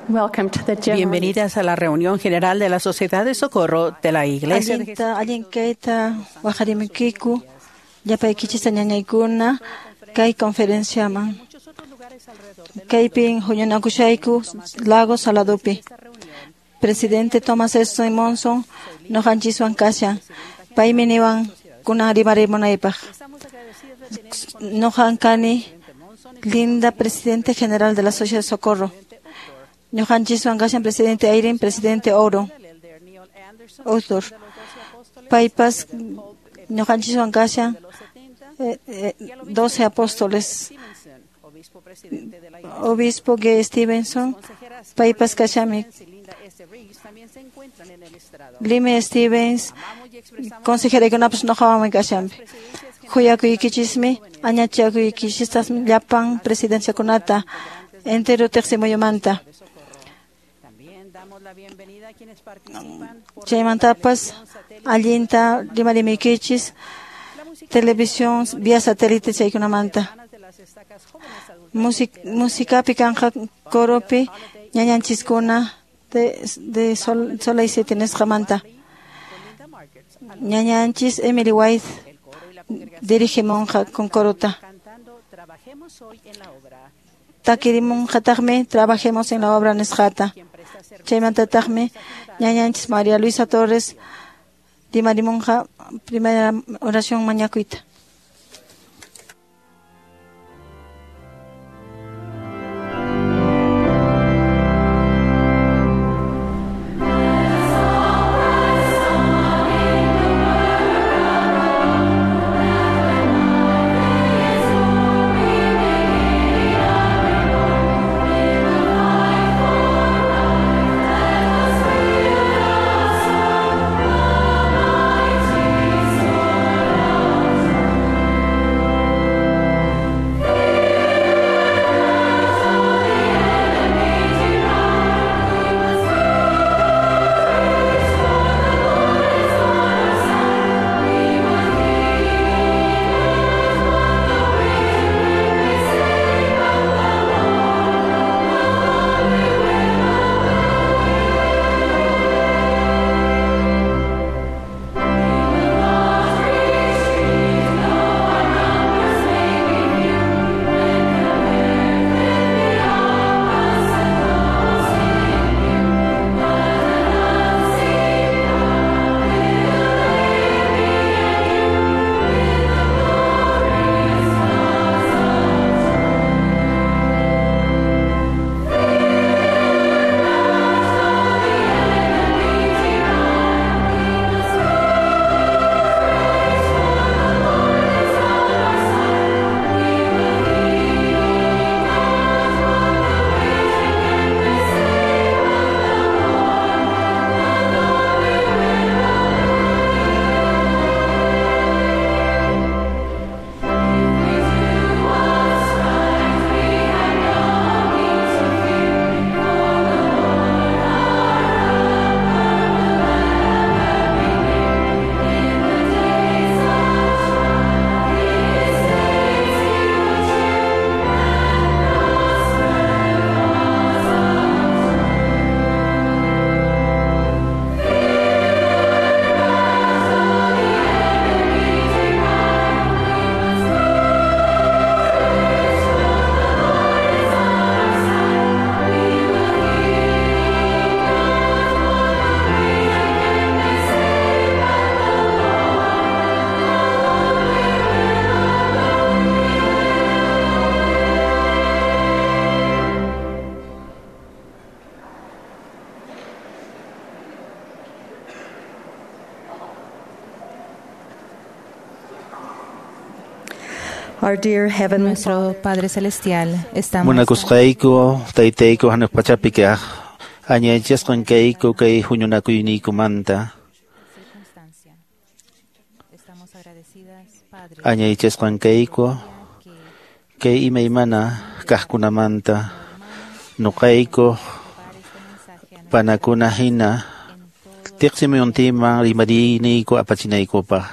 Welcome to the general Bienvenidas a la reunión general de la Sociedad de Socorro de la Iglesia de Allinta, allin kayta waqarimikiku, llapaykichista ñañaykuna kay conferenciaman. Kaypin huñunakushayku Lago Saladopi. Presidente Thomas S. Monson noqanchiswan kashan. Paymi niwan kunan rimarimunaypaq. Noqan kani Linda, presidente general de la Sociedad de Socorro. Ñuqanchiswan kashan presidente Eyring, presidente Oro. Autor. Paypas ñuqanchiswan kashan 12 apóstoles. Obispo G. Stevenson, paypas kashami. Lime Stevens, consejera kunapas noqawanmi kashanpi. Khuyakuykichismi, añachakuykichistasmi llapan presidenciakunata entero teqsimuyumanta. Chaymantapas allinta rimarimiykichis televisión vía satélite chaykunamanta. Musikapi kanqa coropi ñañanchiskuna de Sola y Siete nisqamanta. Ñañanchis Emily White dirige monja con corota. Takirimunqataqmi trabajemos en la obra nisqata. Chaymantataqmi ñañanchis María Luisa Torres rimarimunqa primera oración mañakuyta. Our dear Heavenly Nuestro Padre Celestial, estamos Munakusqayku, taytayku hanaq pachapi kaq, añaychasqan kayku kay huñunakuynikumanta. circunstancia. Estamos agradecidas, Padre, Añaychasqan kayku kay imaymana kaqkunamanta. Nuqayku panakuna hina tiqsimuyuntiman rimariniyku apachinaykupaq.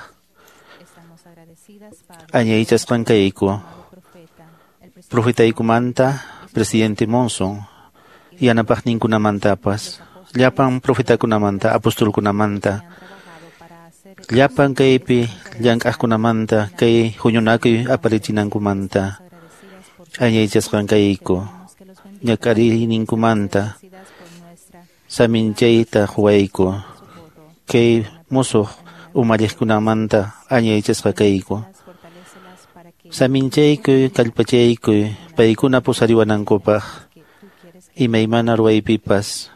estamos agradecidas, Padre, Añaychasqan kayku amado profeta, el presidente profetaykumanta presidente Monson yanapaqninkunamantapas, llapan profetakunamanta, apostolkunamanta, llapan kaypi llank'aqkunamanta, kay huñunakuy aparichinankumanta, añaychasqan kayku, ñak'ariyninkumanta, saminchayta huwayku, kay musuq umalliqkunamanta añaychasqa kayku. Saminchaykuy, kallpachaykuy, paykuna pusariwanankupaq, imaymana ruwaypipas,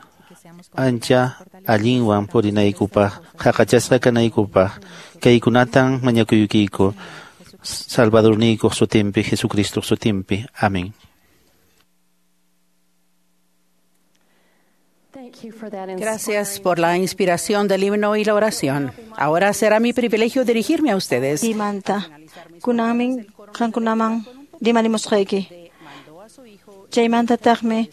ancha allinwan purinaykupaq, qhaqachasqa kanaykupaq, kaykunatan mañakuykiku, Salvadorniykuq sutinpi, Jesucristoq sutinpi. Amén. Gracias por la inspiración del himno y la oración. Ahora será mi privilegio dirigirme a ustedes. Imanta kunanmin qankunaman rimarimusqayki. Chaymantataqmi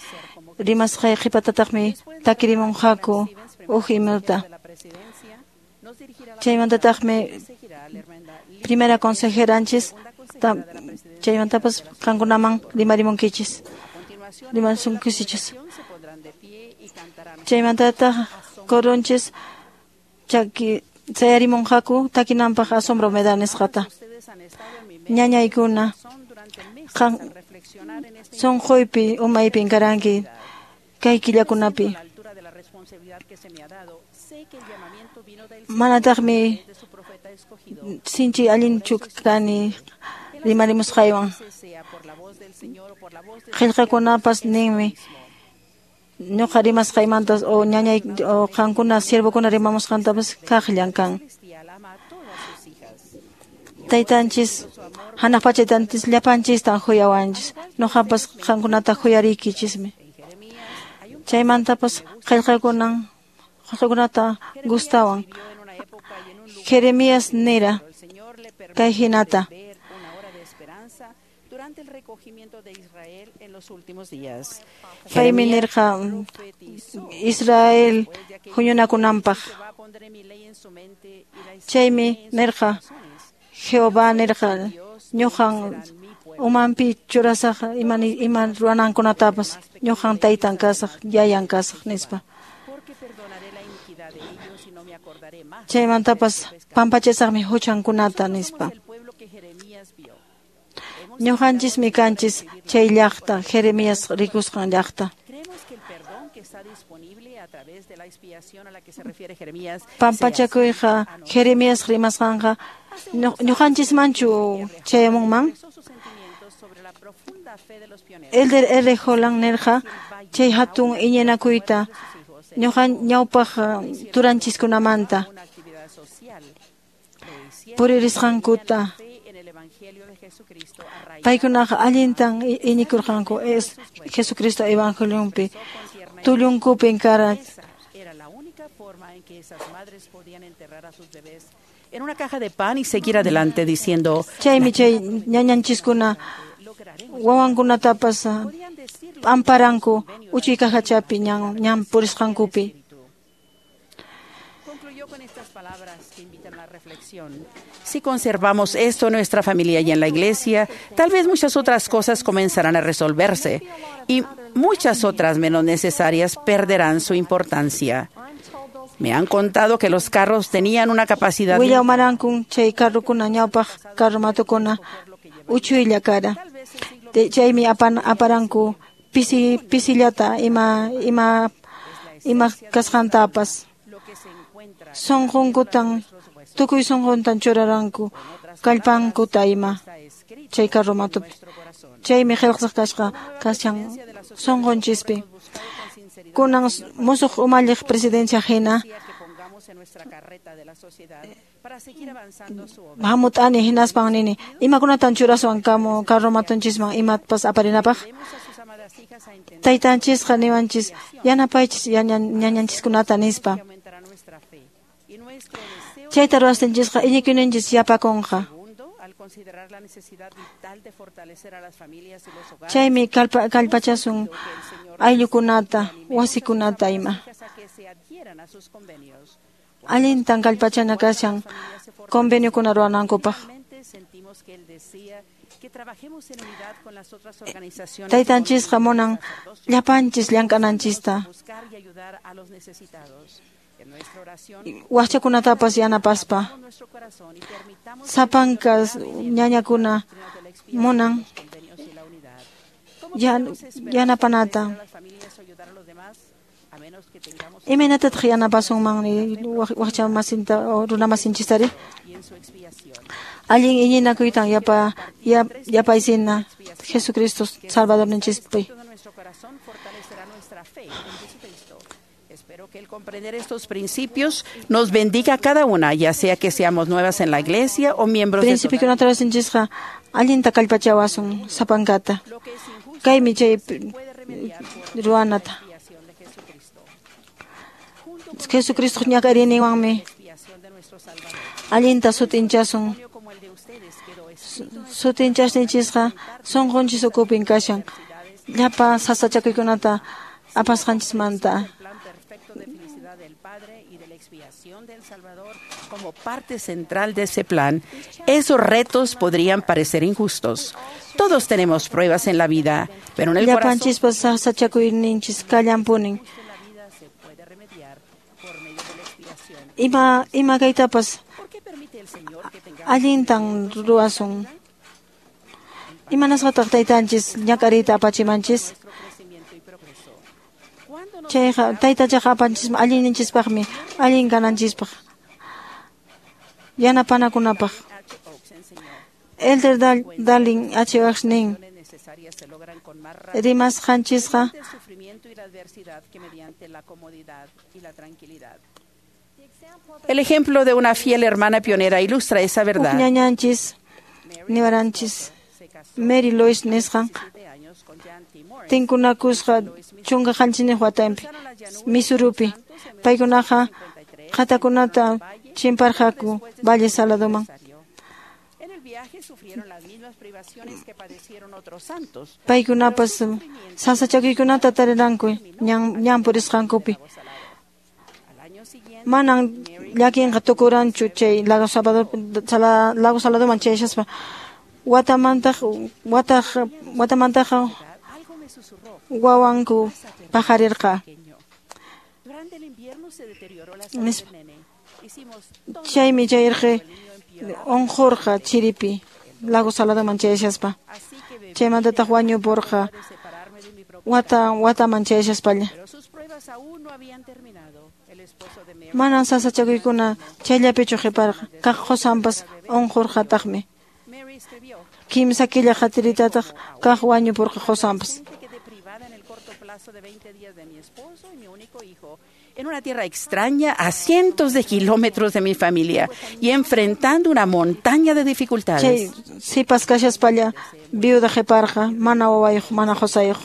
rimasqay qhipatataqmi takirimunqaku huk himnuta. Chaymantataqmi primera consejeranchis chaymantapas qankunaman rimarimunkichis. Rimasunkichis. Chaymantataq coronchis chaki sayarimunqaku takinanpaq asombro me da nisqata. Ñañaykuna qan sunquypi umaypin karanki kay killakunapi. Manataqmi sinchi allinchu kani rimarimusqaywan. Qillqakunapas ninmi ñuqa rimasqaymantas o ñañay o qankuna siervokuna rimamusqantapas kaqllan kan. Taytanchis hanaq pacha taytanchis llapanchistan huyawanchis. Ñuqapas qankunata huyariykichismi. Chaymantapas qillqakunata gustawan. Jeremías nira kay hinata. Paymi nirqa Israel huñunakunanpaq. Chaymi nirqa Jehová nirqa ñuqan umanpi churasaq ima ruwanankunatapas ñuqan taytan kasaq yayan kasaq nispa. Chaymantapas pampachasaqmi huchankunata nispa. Ñuqanchismi kanchis chay llaqta Jeremías rikusqan llaqta. Pampachakuyqa Jeremías rimasqanqa ñuqanchismanchu chayamunman. Elder R. Holland nirqa chay hatun iñinakuyta ñuqan ñawpaq turanchiskunamanta puririsqankuta. Paykunaqa allintan iñikurqanku es Jesucristo evangelionpi tullunkupin kara. En una caja de pan y seguir adelante diciendo chaymi chay ñañanchiskuna wawankunatapas amparanku uchuy cajachapi ñan purisqankupi. Si conservamos esto en nuestra familia y en la iglesia, tal vez muchas otras cosas comenzarán a resolverse y muchas otras menos necesarias perderán su importancia. Me han contado que los carros tenían una capacidad. Willawmarankun chay carrokuna ñawpaq carromatukuna uchuylla kara. Chaymi aparanku pisi pisillata ima ima ima kasqantapas. Sunqunkutan tukuy sunquntan churaranku kallpankuta ima chay carromatupi. Chaymi qillqasqa kasqa kashan sunqunchispi. Kunan musuq umalliq presidencia hina hamut'ani hinaspan nini imakunatan churaswan kamu carromatunchisman imapas aparinapaq. Taytanchisqa niwanchis yanapaychis ñañanchiskunata nispa. Chayta ruwasqanchisqa iñikuyninchis yapakunqa. Chaymi kallpachasun ayllukunata, wasikunata ima. Allintan kallpachana kashan conveniokuna ruwanankupaq. Taytanchisqa munan llapanchis llank'ananchista. Waqchakunatapas yanapaspa. Sapanka ñañakuna munan yanapanata. Imaynatataq yanapasunman waqcha masinta runa masinchistari? Allin iñinakuytan yapaysina Jesucristo Salvadorninchispi. Espero que el comprender estos principios nos bendiga a cada una, ya sea que seamos nuevas en la iglesia o miembros de Principiokunata ruwasqanchisqa allinta kallpachawasun sapankata. Kaymi chay ruwanata. Jesucristo ñak'ariyninwanmi allinta sut'inchasun. Sut'inchasninchisqa sunqunchis ukupin kashan. Llapa sasachakuykunata apasqanchismanta. Como parte central de ese plan, esos retos podrían parecer injustos. Todos tenemos pruebas en la vida, pero en el corazón Llapanchispas sasachakuyninchis kallanpunin. Ima kaytapas allintan ruwasun. Imanasqataq taytanchis ñak'ariyta apachimanchis? Chayqa taytachaqa apanchismi allinninchispaqmi, allin kananchispaq, yanapanakunapaq. Elder Dallin H. Oaks nin, rimasqanchisqa El ejemplo de una fiel hermana pionera ilustra esa verdad. Huk ñañanchis niwaranchis Mary Louise nisqan tinkunakusqa 17 watanpi Missouripi. Paykunaqa qhatakunata chimparqaku Valle Saladoman. Paykunapas sasachakuykunata tariranku ñan purisqankupi. Manan llakinqa tukuranchu chay Lago Saladoman chayashaspa. Watamantaqa wawanku paqarirqa. Chaymi chayrqi unqurqa chiripi Lago Saladoman chayashaspa. Chaymantataq wañupurqa wataman chayashaspalla. Manan sasachakuykuna chayllapichu qhiparqa, kaq qusanpas unqurqataqmi. Kimsa killa qatiritataq kaq wañupurqa qusanpas. En una tierra extraña, a cientos de kilómetros de mi familia y enfrentando una montaña de dificultades. Chay sipas kashaspalla viuda qhiparqa, mana wawayuq, mana qusayuq.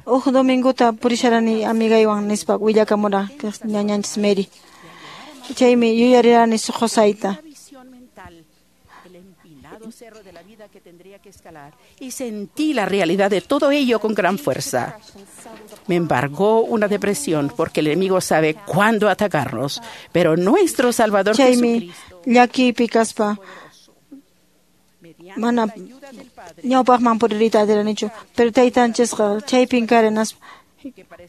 Huk dominguta purisharani amigaywan nispa willakamura ñañanchis Mary. Chaymi yuyarirani qusayta. Y sentí la realidad de todo ello con gran fuerza. Me embargó una depresión porque el enemigo sabe cuándo atacarnos, pero nuestro Salvador Chaymi Jesucristo, llakipi kaspa mana ñawpaqman puririyta atiranichu, pero taytanchisqa chaypin karinaspa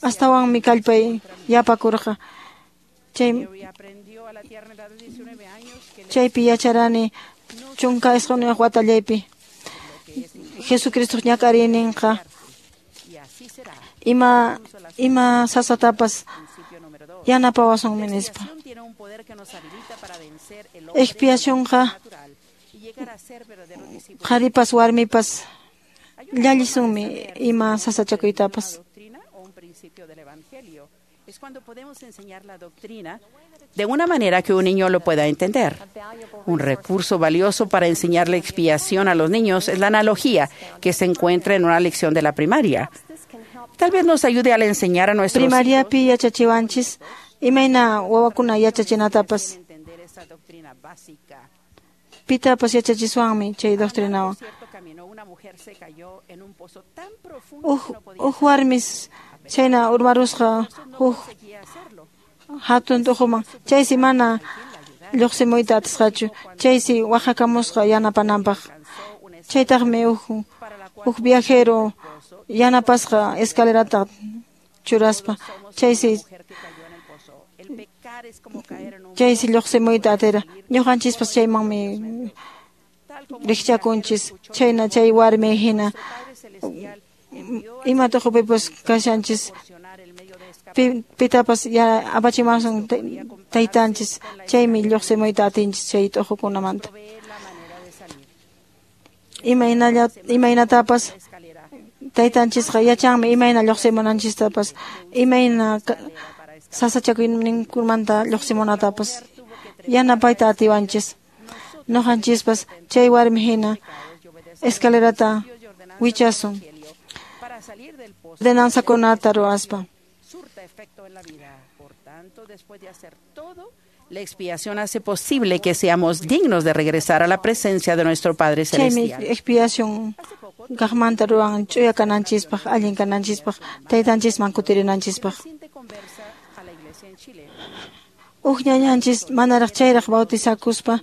astawanmi kallpay yapakurqa. Chaypi yacharani 19 watallaypi Jesucristo ñak'ariyninqa ima sasatapas yanapawasunmi nispa. Expiacionqa qharipas warmipas llallisunmi ima sasachakuytapas. Es cuando podemos enseñar la doctrina de una manera que un niño lo pueda entender. Un recurso valioso para enseñar la expiación a los niños es la analogía que se encuentra en una lección de la primaria. Tal vez nos ayude al enseñar a nuestros hijos Primariapi yachachiwanchis imayna wawakuna yachachinatapas. entender esa doctrina básica. Pitapas yachachiswanmi chay doctrinawan. Cierto camino, una mujer se cayó en un pozo tan profundo que no podía Huk warmis chayna urmarusqa huk conseguía hacerlo. hatun t'uquman. Chaysi mana lluqsimuyta atisqachu. Chaysi waqhakamusqa yanapananpaq. Chaytaqmi huk viajero yanapasqa escalerata churaspa. Chaysi lluqsimuyta atira. Ñuqanchispas chaymanmi rikchakunchis. Chayna chay warmi hina ima tuqupipas kashanchis pitapas apachimasun taytanchis. Chaymi lluqsimuyta atinchis chay tuqukunamanta. Imaynatapas taytanchisqa yachanmi imayna lluqsimunanchistapas, imayna sasachakuyninkumanta lluqsimunatapas yanapayta atiwanchis. Ñuqanchispas chay warmi hina escalerata wichasun ordenanzakunata ruwaspa. La expiación hace posible que seamos dignos de regresar a la presencia de nuestro Padre Celestial. Chaymi expiación kaqmanta ruwan ch'uya kananchispaq, allin kananchispaq, taytanchisman kutirinanchispaq. Huk ñañanchis manaraq chayraq bautizakuspa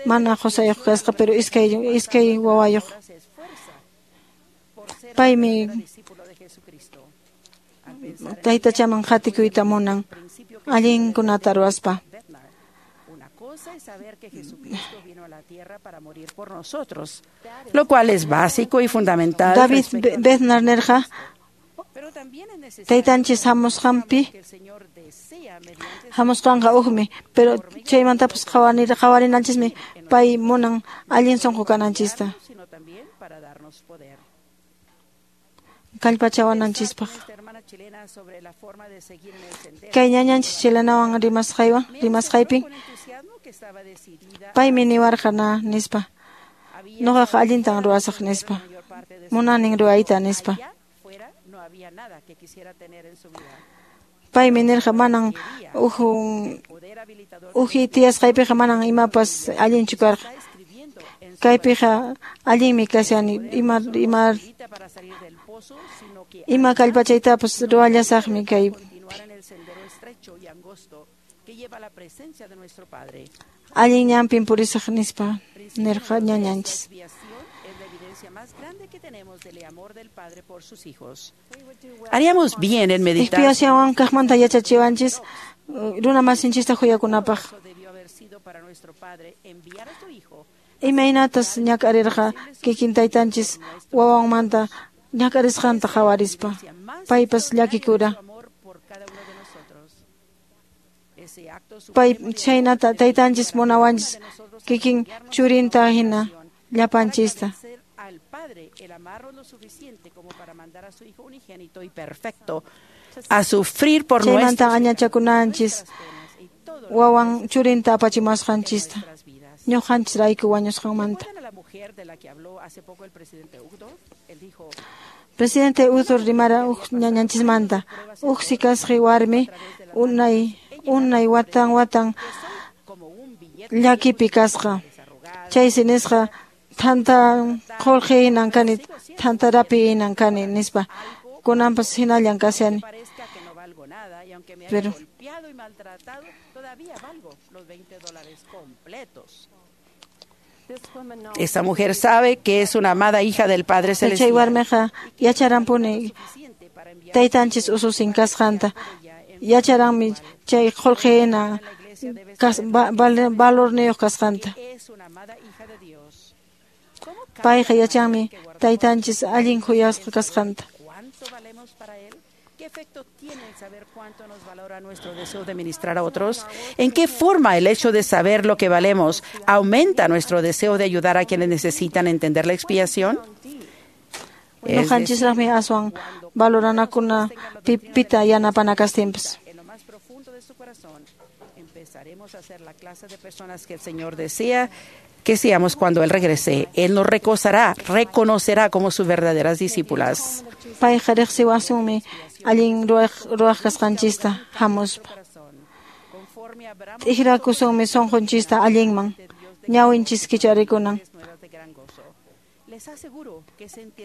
mana qusayuq kasqa, pero iskay wawayuq. Paymi taytachaman qatikuyta munan allinkunata ruwaspa. Lo cual es básico y fundamental. David Bednar nerqa taytanchis hamusqanqa hukmi, pero chaymantapas qhawarinanchismi pay munan allin sunqu kananchista, kallpachawananchispaq. Kay ñañanchis chilenawan rimasqaypin paymi niwarqa na nispa, ñuqaqa allintan ruwasaq nispa, munanin ruwayta nispa. Paymi nirqa manan uji tiyasqaypiqa manan imapas allinchu karqa. Kaypiqa allinmi kashani, ima kallpachaytapas ruwallasaqmi kay. Allin ñanpin purisaq nispa nirqa ñañanchis. Haríamos bien en meditar. Expiación kaqmanta yachachiwanchis runa masinchista huyakunapaq. Imaynatas ñak'arirqa kikin taytanchis wawanmanta ñak'arisqanta qhawarispa. Paypas llakikura. Pay chhaynata taytanchis munawanchis kikin churinta hina llapanchista. A sufrir por chaymanta añachakunanchis wawan churinta apachimusqanchista ñuqanchisrayku wañusqanmanta. Presidente Udur rimara huk ñañanchismanta huk sikasqi warmi unay watan watan llakipi kasqa. Chaysi nisqa thanta qullqi hinan kani, thanta rapi hinan kani nispa. Kunanpas hinallan kashani. Pero esta mujer sabe que es una amada hija del Padre Celestial. Chay warmiqa yacharanpuni taytanchis ususin kasqanta. Yacharanmi chay qullqi hina valorniyuq kasqanta. Payqa yachanmi taytanchis allin khuyasqa kasqanta. ¿Qué efecto tiene el saber cuánto nos valora nuestro deseo de ministrar a otros? ¿En qué forma el hecho de saber lo que valemos aumenta nuestro deseo de ayudar a quienes necesitan entender la expiación? Ñuqanchisraqmi aswan valoranakuna pita yanapanakastinpas. En lo más profundo de su corazón empezaremos a ser la clase de personas que el Señor desea que seamos cuando Él regrese. Él nos reconocerá como sus verdaderas discípulas. Payqa riqsiwasunmi allin ruwaq kasqanchista hamuspa. T'ikrakusunmi sunqunchista allinman, ñawinchis kicharikunan.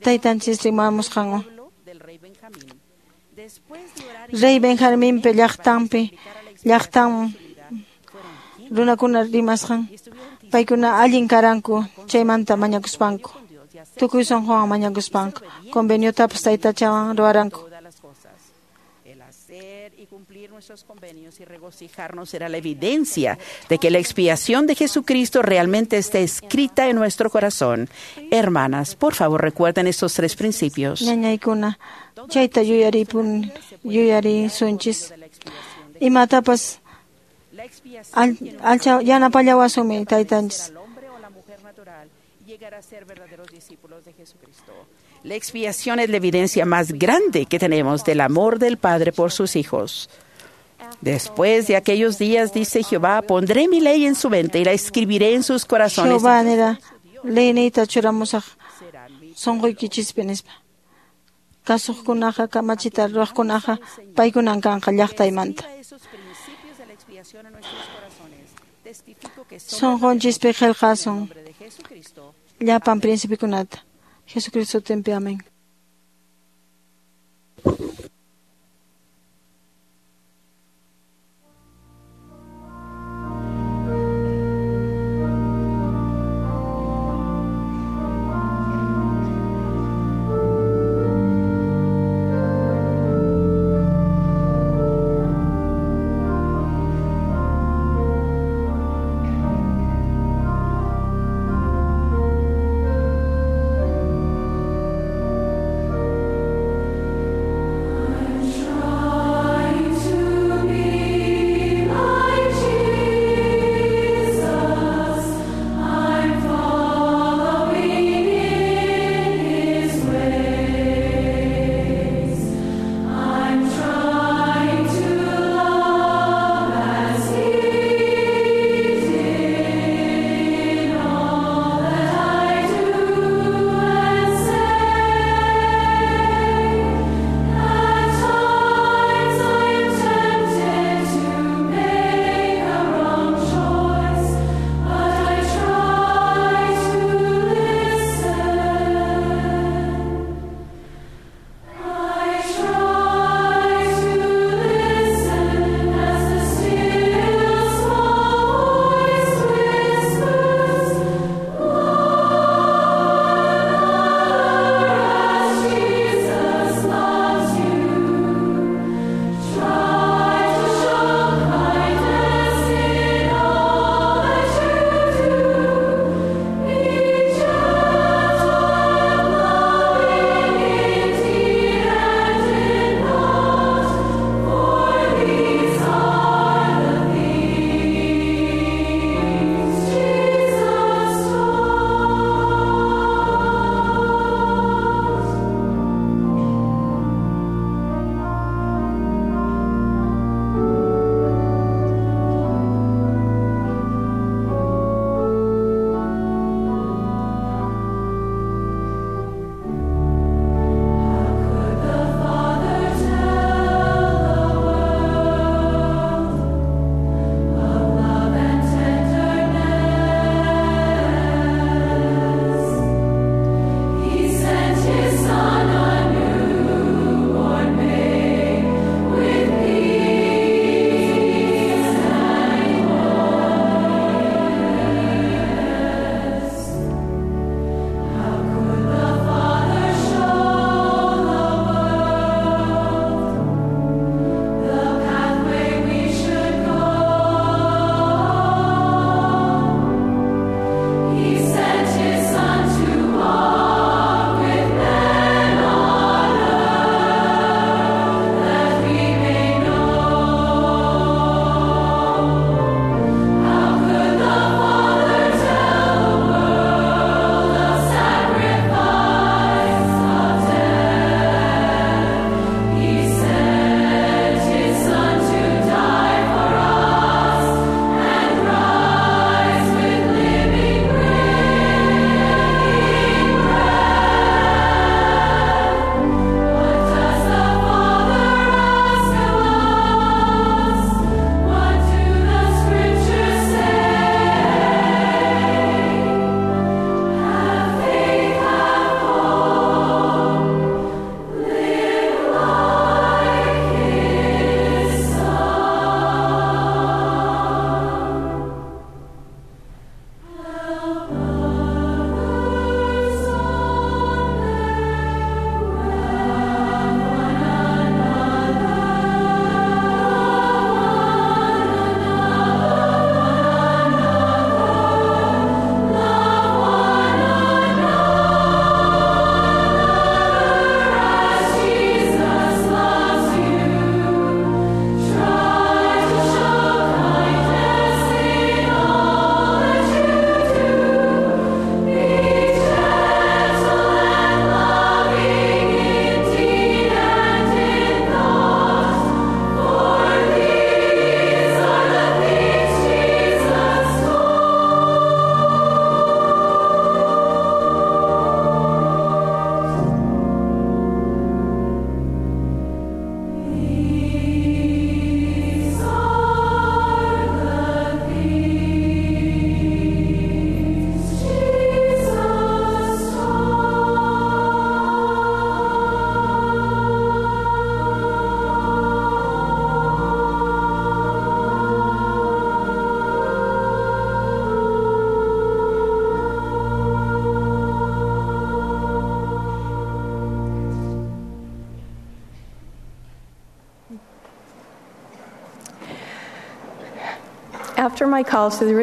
Taytanchis rimamusqanwan. Rey Benjaminpa llaqtanpi llaqtan Runakuna rimasqan paykuna allin karanku chaymanta mañakuspanku. Tukuy sunquwan mañakuspanku. Conveniotapas taytachawan ruwaranku. El hacer y cumplir nuestros convenios y regocijarnos será la evidencia de que la expiación de Jesucristo realmente está escrita en nuestro corazón. Hermanas, por favor, recuerden estos tres principios. Ñañaykuna chayta yuyaripun yuyarisunchis. Imatapas La expiación alcha yanapallawasunmi taytanchis. al hombre o la mujer natural llegar a ser verdaderos discípulos de Jesucristo. La expiación es la evidencia más grande que tenemos del amor del Padre por sus hijos. Después de aquellos días, dice Jehová, pondré mi ley en su mente y la escribiré en sus corazones. Jehová nira leyniyta churamusaq sunquykichispi nispa. Kasuqkunaqa kamachita ruwaqkunaqa paykunan kanqa llaqtaymanta. Esos principios de la expiación en nuestros corazones. Testifico que somos Sunqunchispi qillqasun en nombre de Jesucristo. llapan principikunata. Jesucristo tempi amén. Thank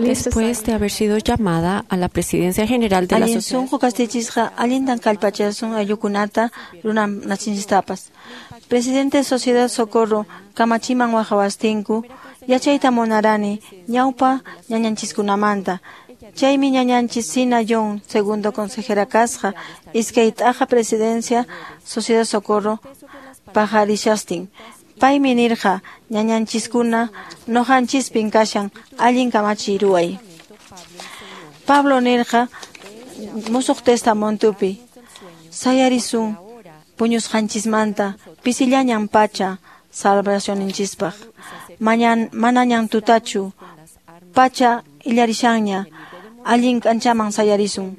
Después de haber sido llamada a la presidencia general de la Allin Sociedad sunqu kastichisqa allintan kallpachasun ayllukunata runamasinchistapas. Presidente Sociedad Socorro kamachiman waqawastinku yachayta munarani ñawpa ñañanchiskunamanta. Chaymi ñañanchis Sina Young, segundo consejera kasqa, iskay t'aqa presidencia Sociedad Socorro pajarishastin. Paymi nirqa ñañanchiskuna noqanchispin kashan allin kamachiy ruway. Pablo nirqa Musuq Testamentupi sayarisun puñusqanchismanta pisillañan pacha salvacionninchispaq. Manañan tutachu pacha illarishanña allin k'anchaman sayarisun.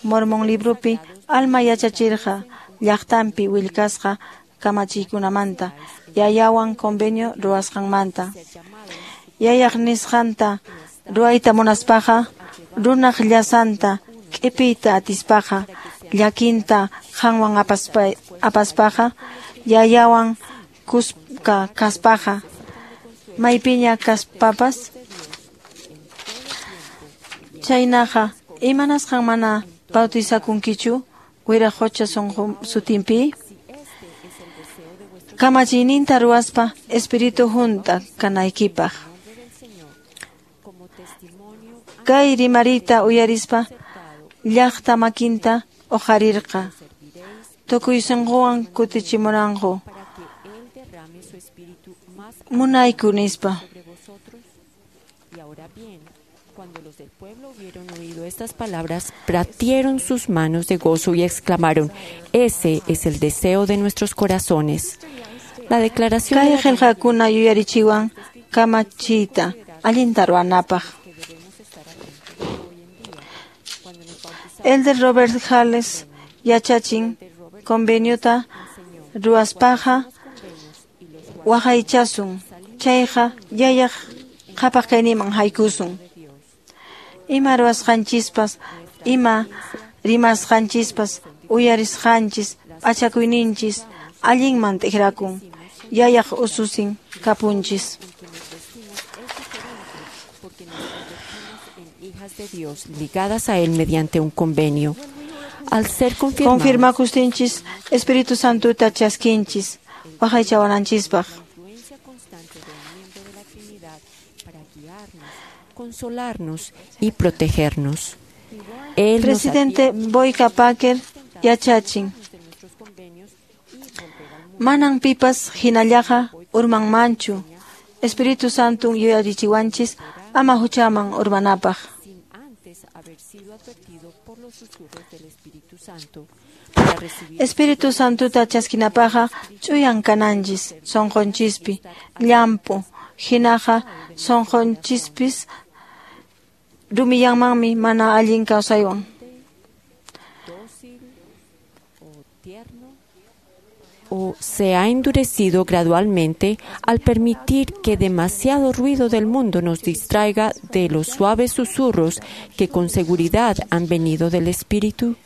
Mormon librupi alma yachachirqa llaqtanpi willkasqa kamachiykunamanta yayawan convenio ruwasqanmanta. Yayaq nisqanta ruwayta munaspaqa runaq llasanta q'ipiyta atispaqa llakinta qanwan apaspaqa yayawan kuska kaspaqa maypiña kaspapas. Chaynaqa imanasqan mana bautizakunkichu Wiraqocha sutinpi? Kamachiyninta ruwaspa espíritu junta kanaykipaq. Kay rimariyta uyarispa llaqta makinta uqharirqa. Tukuy sunquwan kutichimuranku. Munayku nispa. Cuando los del pueblo hubieron oído estas palabras, batieron sus manos de gozo y exclamaron: Ese es el deseo de nuestros corazones. La declaración Kay qillqakuna yuyarichiwan kamachiyta allinta ruwanapaq. Elder Robert Hales yachachin conveniota ruwaspaqa waqaychasun chayqa yayaq qhapaq kayninman haykusun. Ima ruwasqanchispas, ima rimasqanchispas, uyarisqanchis, p'achakuyninchis allinman t'ikrakun, yayaq ususin kapunchis. Hijas de Dios ligadas a él mediante un convenio. Al ser confirmados, Confirmakustinchis Espíritu Santuta chaskinchis waqaychawananchispaq. Consolarnos y protegernos. Él Presidente Boyka Packer yachachin. Manan pipas hinallaqa urmanmanchu. Espíritu Santo yuyarichiwanchis ama huchaman urmanapaq. Espíritu Santuta chaskinapaqqa ch'uyan kananchis sunqunchispi llampu hinaqa sunqunchispis rumiyanmanmi mana allin kawsaywan. O se ha endurecido gradualmente al permitir que demasiado ruido del mundo nos distraiga de los suaves susurros que con seguridad han venido del Espíritu.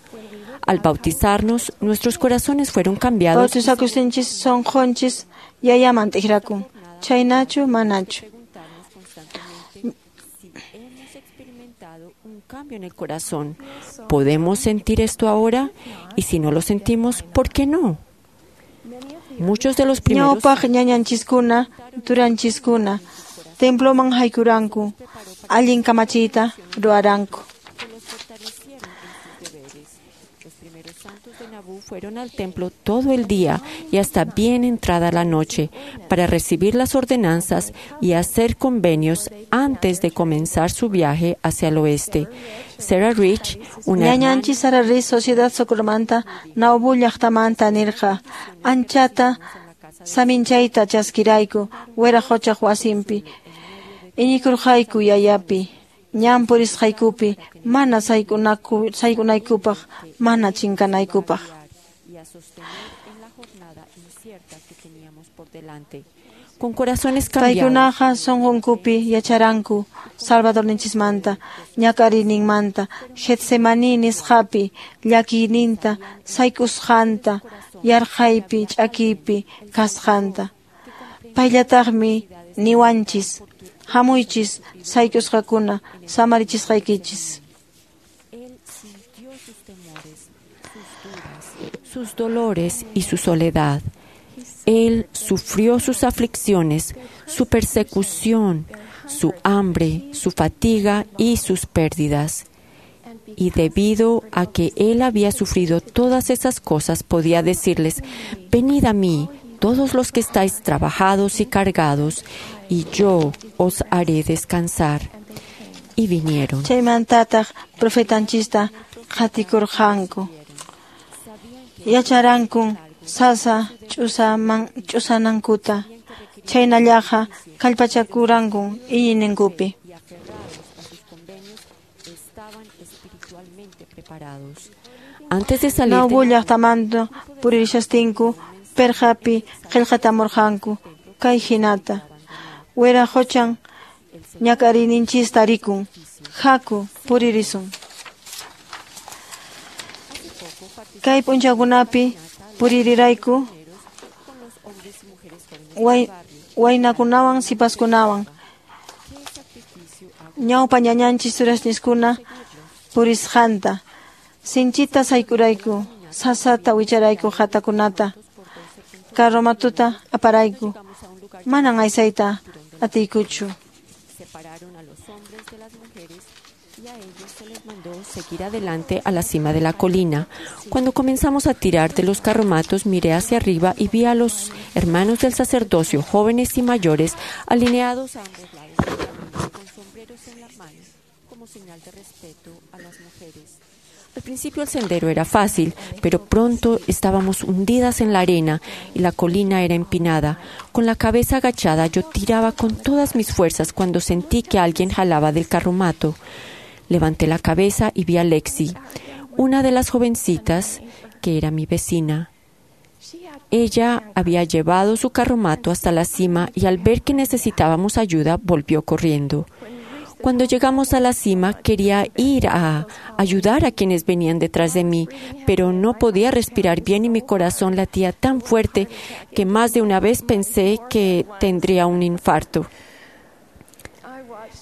Al bautizarnos, nuestros corazones fueron cambiados. Bautizakustinchis sunqunchis yayaman t'ikrakun. Chaynachu manachu. Un cambio en el corazón. ¿Podemos sentir esto ahora? Y si no lo sentimos, ¿por qué no? Muchos de los primeros Ñawpaq ñañanchiskuna, turanchiskuna, temploman haykuranku, allin kamachiyta ruwaranku. Fueron al templo todo el día y hasta bien entrada la noche para recibir las ordenanzas y hacer convenios antes de comenzar su viaje hacia el oeste. Sarah Rich, una Ñañanchis Sarah Rich, Sociedad Socorromanta, Nauvoo llaqtamanta nirqa, anchata saminchayta chaskirayku, Wiraqochaq wasinpi, iñikurqayku yayapi. Ñan purisqaykupi mana sayk'unaykupaq, mana chinkanaykupaq. Con corazones cambiados. Paykunaqa sunqunkupi yacharanku Salvadorninchismanta, ñak'ariyninmanta, Getsemaní nisqapi llakiyninta, sayk'usqanta, yarqaypi, ch'akiypi kasqanta. Payllataqmi niwanchis Hamuychis sayk'usqakuna, samarichisqaykichis. Él sintió sus temores, sus dudas, sus dolores y su soledad. Él sufrió sus aflicciones, su persecución, su hambre, su fatiga y sus pérdidas. Y debido a que él había sufrido todas esas cosas, podía decirles, venid a mí, todos los que estáis trabajados y cargados, y yo os haré descansar. Y vinieron. Chaymantataq profetanchista qatikurqanku. Yacharankun sasa ch'usanankuta. Chaynallaqa kallpachakurankun iñiyninkupi. Y aferrados a sus convenios, estaban espiritualmente preparados. Antes de salir de Nauvoo llaqtamanta puririshastinku pirqapi qillqatamurqanku kay hinata. Wiraqochan ñak'ariyninchista rikun. Haku puririsun. Kay p'unchawkunapi puririrayku waynakunawan sipaskunawan. Ñawpa ñañanchis turasniskuna purisqanta. Sinchita sayk'urayku, sasata wicharayku qhatakunata, carromatuta aparayku. Manan aysayta atiykuchu. Separaron a los hombres de las mujeres y a ellos se les mandó seguir adelante a la cima de la colina. Cuando comenzamos a tirar de los carromatos, miré hacia arriba y vi a los hermanos del sacerdocio, jóvenes y mayores, alineados a ambos lados del camino, con sombreros en la mano, como señal de respeto a las mujeres. Al principio el sendero era fácil, pero pronto estábamos hundidas en la arena y la colina era empinada. Con la cabeza agachada yo tiraba con todas mis fuerzas cuando sentí que alguien jalaba del carromato. Levanté la cabeza y vi a Lexi, una de las jovencitas que era mi vecina. Ella había llevado su carromato hasta la cima y al ver que necesitábamos ayuda volvió corriendo. Cuando llegamos a la cima quería ir a ayudar a quienes venían detrás de mí, pero no podía respirar bien y mi corazón latía tan fuerte que más de una vez pensé que tendría un infarto.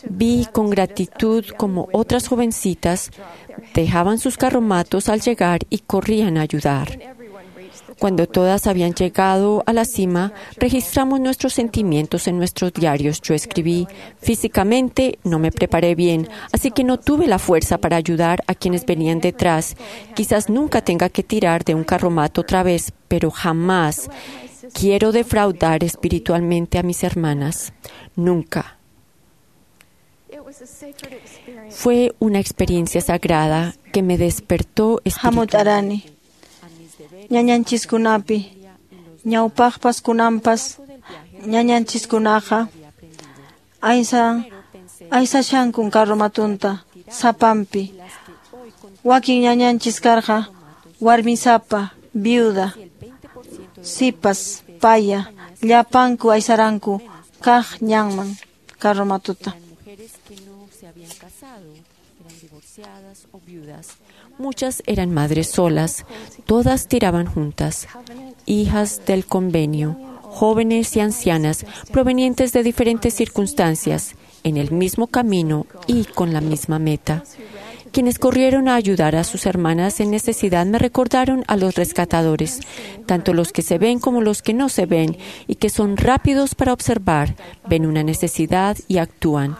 Vi con gratitud como otras jovencitas dejaban sus carromatos al llegar y corrían a ayudar. Cuando todas habían llegado a la cima, registramos nuestros sentimientos en nuestros diarios. Yo escribí, físicamente no me preparé bien, así que no tuve la fuerza para ayudar a quienes venían detrás. Quizás nunca tenga que tirar de un carromato otra vez, pero jamás quiero defraudar espiritualmente a mis hermanas. Nunca. Fue una experiencia sagrada que me despertó Hamutarani. espiritualmente. Ñañanchiskunapi, ñawpaqpas kunanpas, ñañanchiskunaqa aysashankun carromatunta sapanpi. Wakin ñañanchis karqa warmisapa, viuda, sipas, paya, llapanku aysaranku kaq ñanman carromatuta. Eran mujeres que no se habían casado, eran divorciadas o viudas. Muchas eran madres solas, todas tiraban juntas, hijas del convenio, jóvenes y ancianas, provenientes de diferentes circunstancias, en el mismo camino y con la misma meta. Quienes corrieron a ayudar a sus hermanas en necesidad me recordaron a los rescatadores, tanto los que se ven como los que no se ven, y que son rápidos para observar, ven una necesidad y actúan.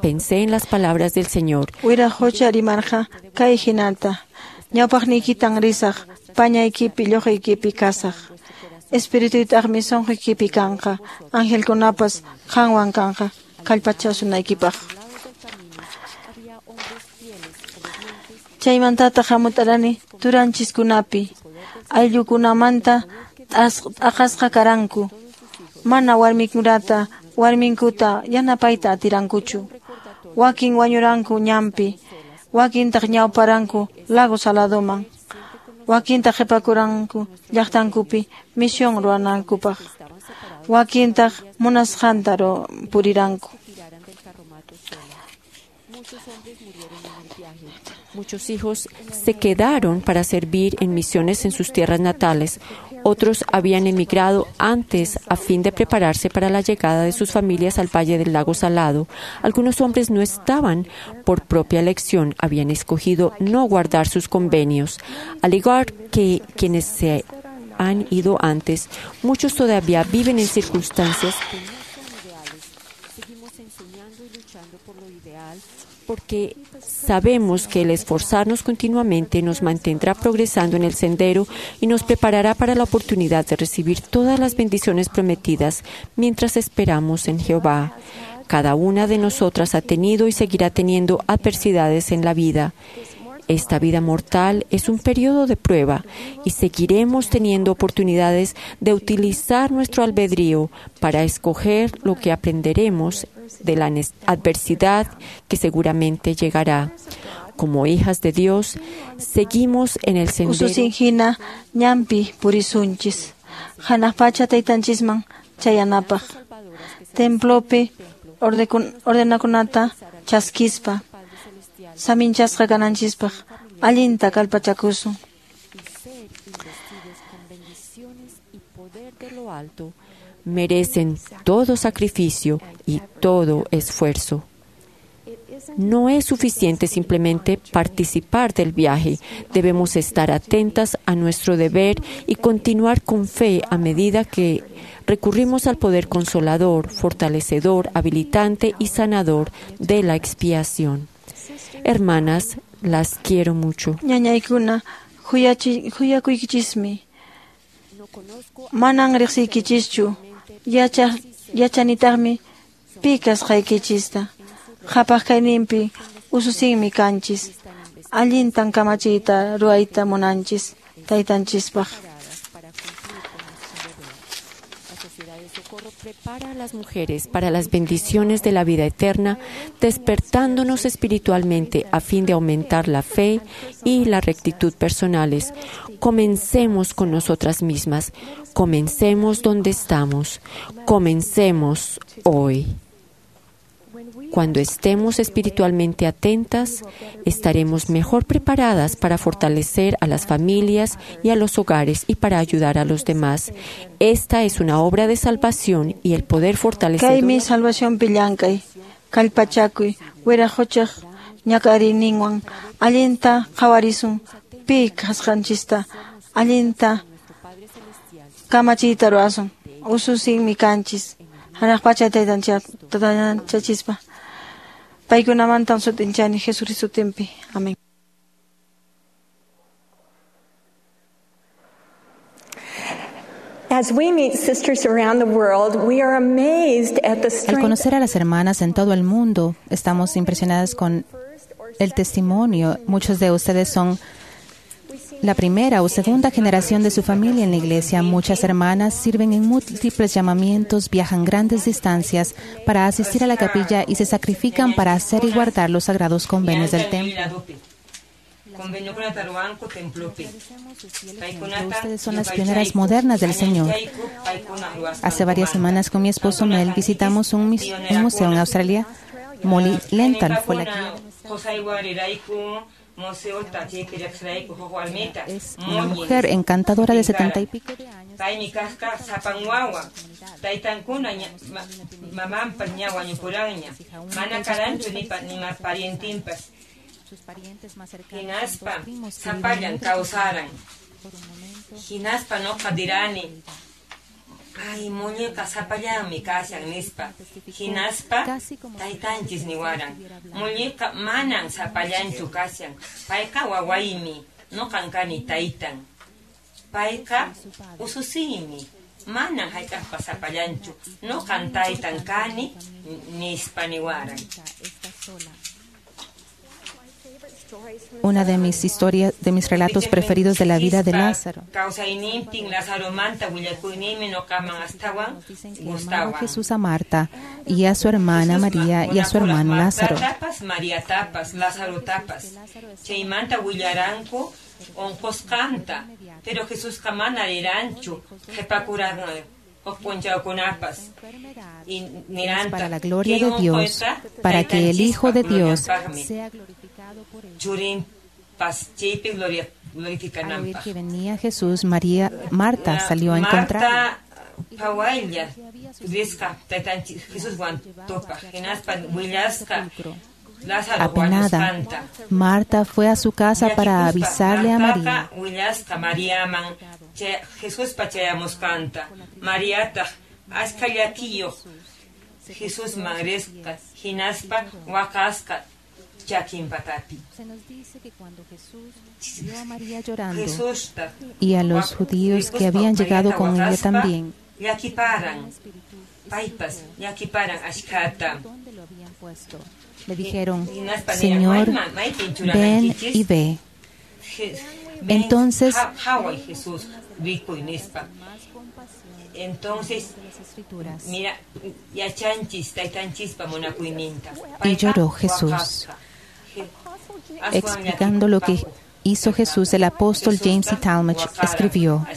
Pensé en las palabras del Señor. Wiraqocha rimarqa kay hinata. Ñawpaqniykitan risaq, pañaykipi lluqaykipi kasaq. Espirituytaqmi sunquykipi kanqa, angelkunapas qanwan kanqa, kallpachasunaykipaq. Chaymantataq hamutarani turanchiskunapi, ayllukunamanta t'aqasqa karanku. Mana warmikunata, warminkuta yanapayta atirankuchu. Wakin wañuranku ñanpi, wakintaq ñawparanku lago Saladoman, wakintaq qhipakuranku llaqtankupi misión ruwanankupaq, wakintaq munasqanta puriranku. Muchos hombres murieron en el viaje. Muchos hijos se quedaron para servir en misiones en sus tierras natales. Otros habían emigrado antes a fin de prepararse para la llegada de sus familias al Valle del Lago Salado. Algunos hombres no estaban por propia elección, habían escogido no guardar sus convenios. Al igual que quienes se han ido antes, muchos todavía viven en circunstancias que no son ideales. Seguimos enseñando y luchando por lo ideal porque sabemos que el esforzarnos continuamente nos mantendrá progresando en el sendero y nos preparará para la oportunidad de recibir todas las bendiciones prometidas mientras esperamos en Jehová. Cada una de nosotras ha tenido y seguirá teniendo adversidades en la vida. Esta vida mortal es un periodo de prueba y seguiremos teniendo oportunidades de utilizar nuestro albedrío para escoger lo que aprenderemos de la adversidad que seguramente llegará. Como hijas de Dios, seguimos en el sendero. Ususin hina ñanpi purisunchis. Hanaq pacha taytanchisman chayanapaq. Templopi ordenakunata chaskispa. Saminchasqa kananchispaq allinta kallpachakusun. Poder de lo alto merecen todo sacrificio y todo esfuerzo. No es suficiente simplemente participar del viaje. Debemos estar atentas a nuestro deber y continuar con fe a medida que recurrimos al poder consolador, fortalecedor, habilitante y sanador de la expiación. Hermanas, las quiero mucho. Ñañaykuna huyakuykichismi. Manan riqsiykichischu. Yachanitaqmi pi kasqaykichista. Qhapaq kayninpi ususinmi kanchis. Allintan kamachiyta ruwayta munanchis taytanchispaq. Prepara a las mujeres para las bendiciones de la vida eterna, despertándonos espiritualmente a fin de aumentar la fe y la rectitud personales. Comencemos con nosotras mismas. Comencemos donde estamos. Comencemos hoy. Cuando estemos espiritualmente atentas, estaremos mejor preparadas para fortalecer a las familias y a los hogares y para ayudar a los demás. Esta es una obra de salvación y el poder fortalecedor. Kaymi salvacionpi llank'ay, kallpachakuy, wiraqochaq ñak'ariyninwan allinta qhawarisun pi kasqanchista, allinta kamachiyta ruwasun, ususinmi kanchis. Hanaq pacha taytanchachispa. Paykunamantan sut'inchani Jesucristo sutinpi. Amén. As we meet sisters around the world, we are amazed at the Al strength conocer a las hermanas en todo el mundo, estamos impresionadas con el testimonio. Muchos de ustedes son la primera o segunda generación de su familia en la iglesia. Muchas hermanas sirven en múltiples llamamientos, viajan grandes distancias para asistir a la capilla y se sacrifican para hacer y guardar los sagrados convenios del templo. Ustedes son las pioneras modernas del Señor. Hace varias semanas con mi esposo Mel visitamos un museo en Australia. Molly Lental fue la guía. Es una mujer encantadora de 70 y pico de años. Sus parientes más cercanos son dos primos que viven en otro Hinaspa noqa dirani. Ay, muñeca sapallanmi kashan nispa. Hinaspa taytanchis niwaran. Muñeca manan sapallanchu kashan. Payqa wawaymi, noqan kani taytan. Payqa ususiymi, manan hayk'aqpas sapallanchu. Noqan taytan kani nispa niwaran. Una de mis historias, de mis relatos preferidos de la vida de Lázaro. Kawsayninpin Lazaromanta willakuyninmi noqaman astawan Amaba gustawan. Jesús a Marta y a su hermana María y a su hermano Lázaro. Tapas, María tapas, Lázaro tapas. Chaymanta willaranku unqusqanta, pero Jesusqa mana riranchu qhipakuran Huk p'unchawkunapas. Y niranta, Para la gloria kay de Dios, unquyqa para que el Hijo de Dios glorianpaqmi. sea glorificado por él. Churinpas chaypi Al oír glorificananpaq. que venía Jesús, Marta salió a encontrarlo. Marta phawaylla risqa taytanchis Jesuswan tupaq hinaspa willasqa Lázaro Apenada, wañusqanta. Marta fue a su casa para Llakikuspa avisarle a María. Martaqa willasqa Mariaman Jesuspa chayamusqanta. Mariataq achka llakiyuq Jesusman risqa hinaspa waqasqa chakin patapi. Se nos dice que cuando Jesús vio a María llorando Jesusta y a los judíos que habían llegado con ella también, llakiparan paypas llakiparan achkata. ¿dónde lo habían puesto? Le dijeron, Hinaspa niran, Señor, "Maypin ven churanankichis?" y ve. Entonces- Haway Jesús rikuy nispa. Entonces, mira, yachanchis taytanchispa munakuyninta. Y lloró Jesús. Explicando lo que hizo Jesús, el apóstol James E. Talmage escribió,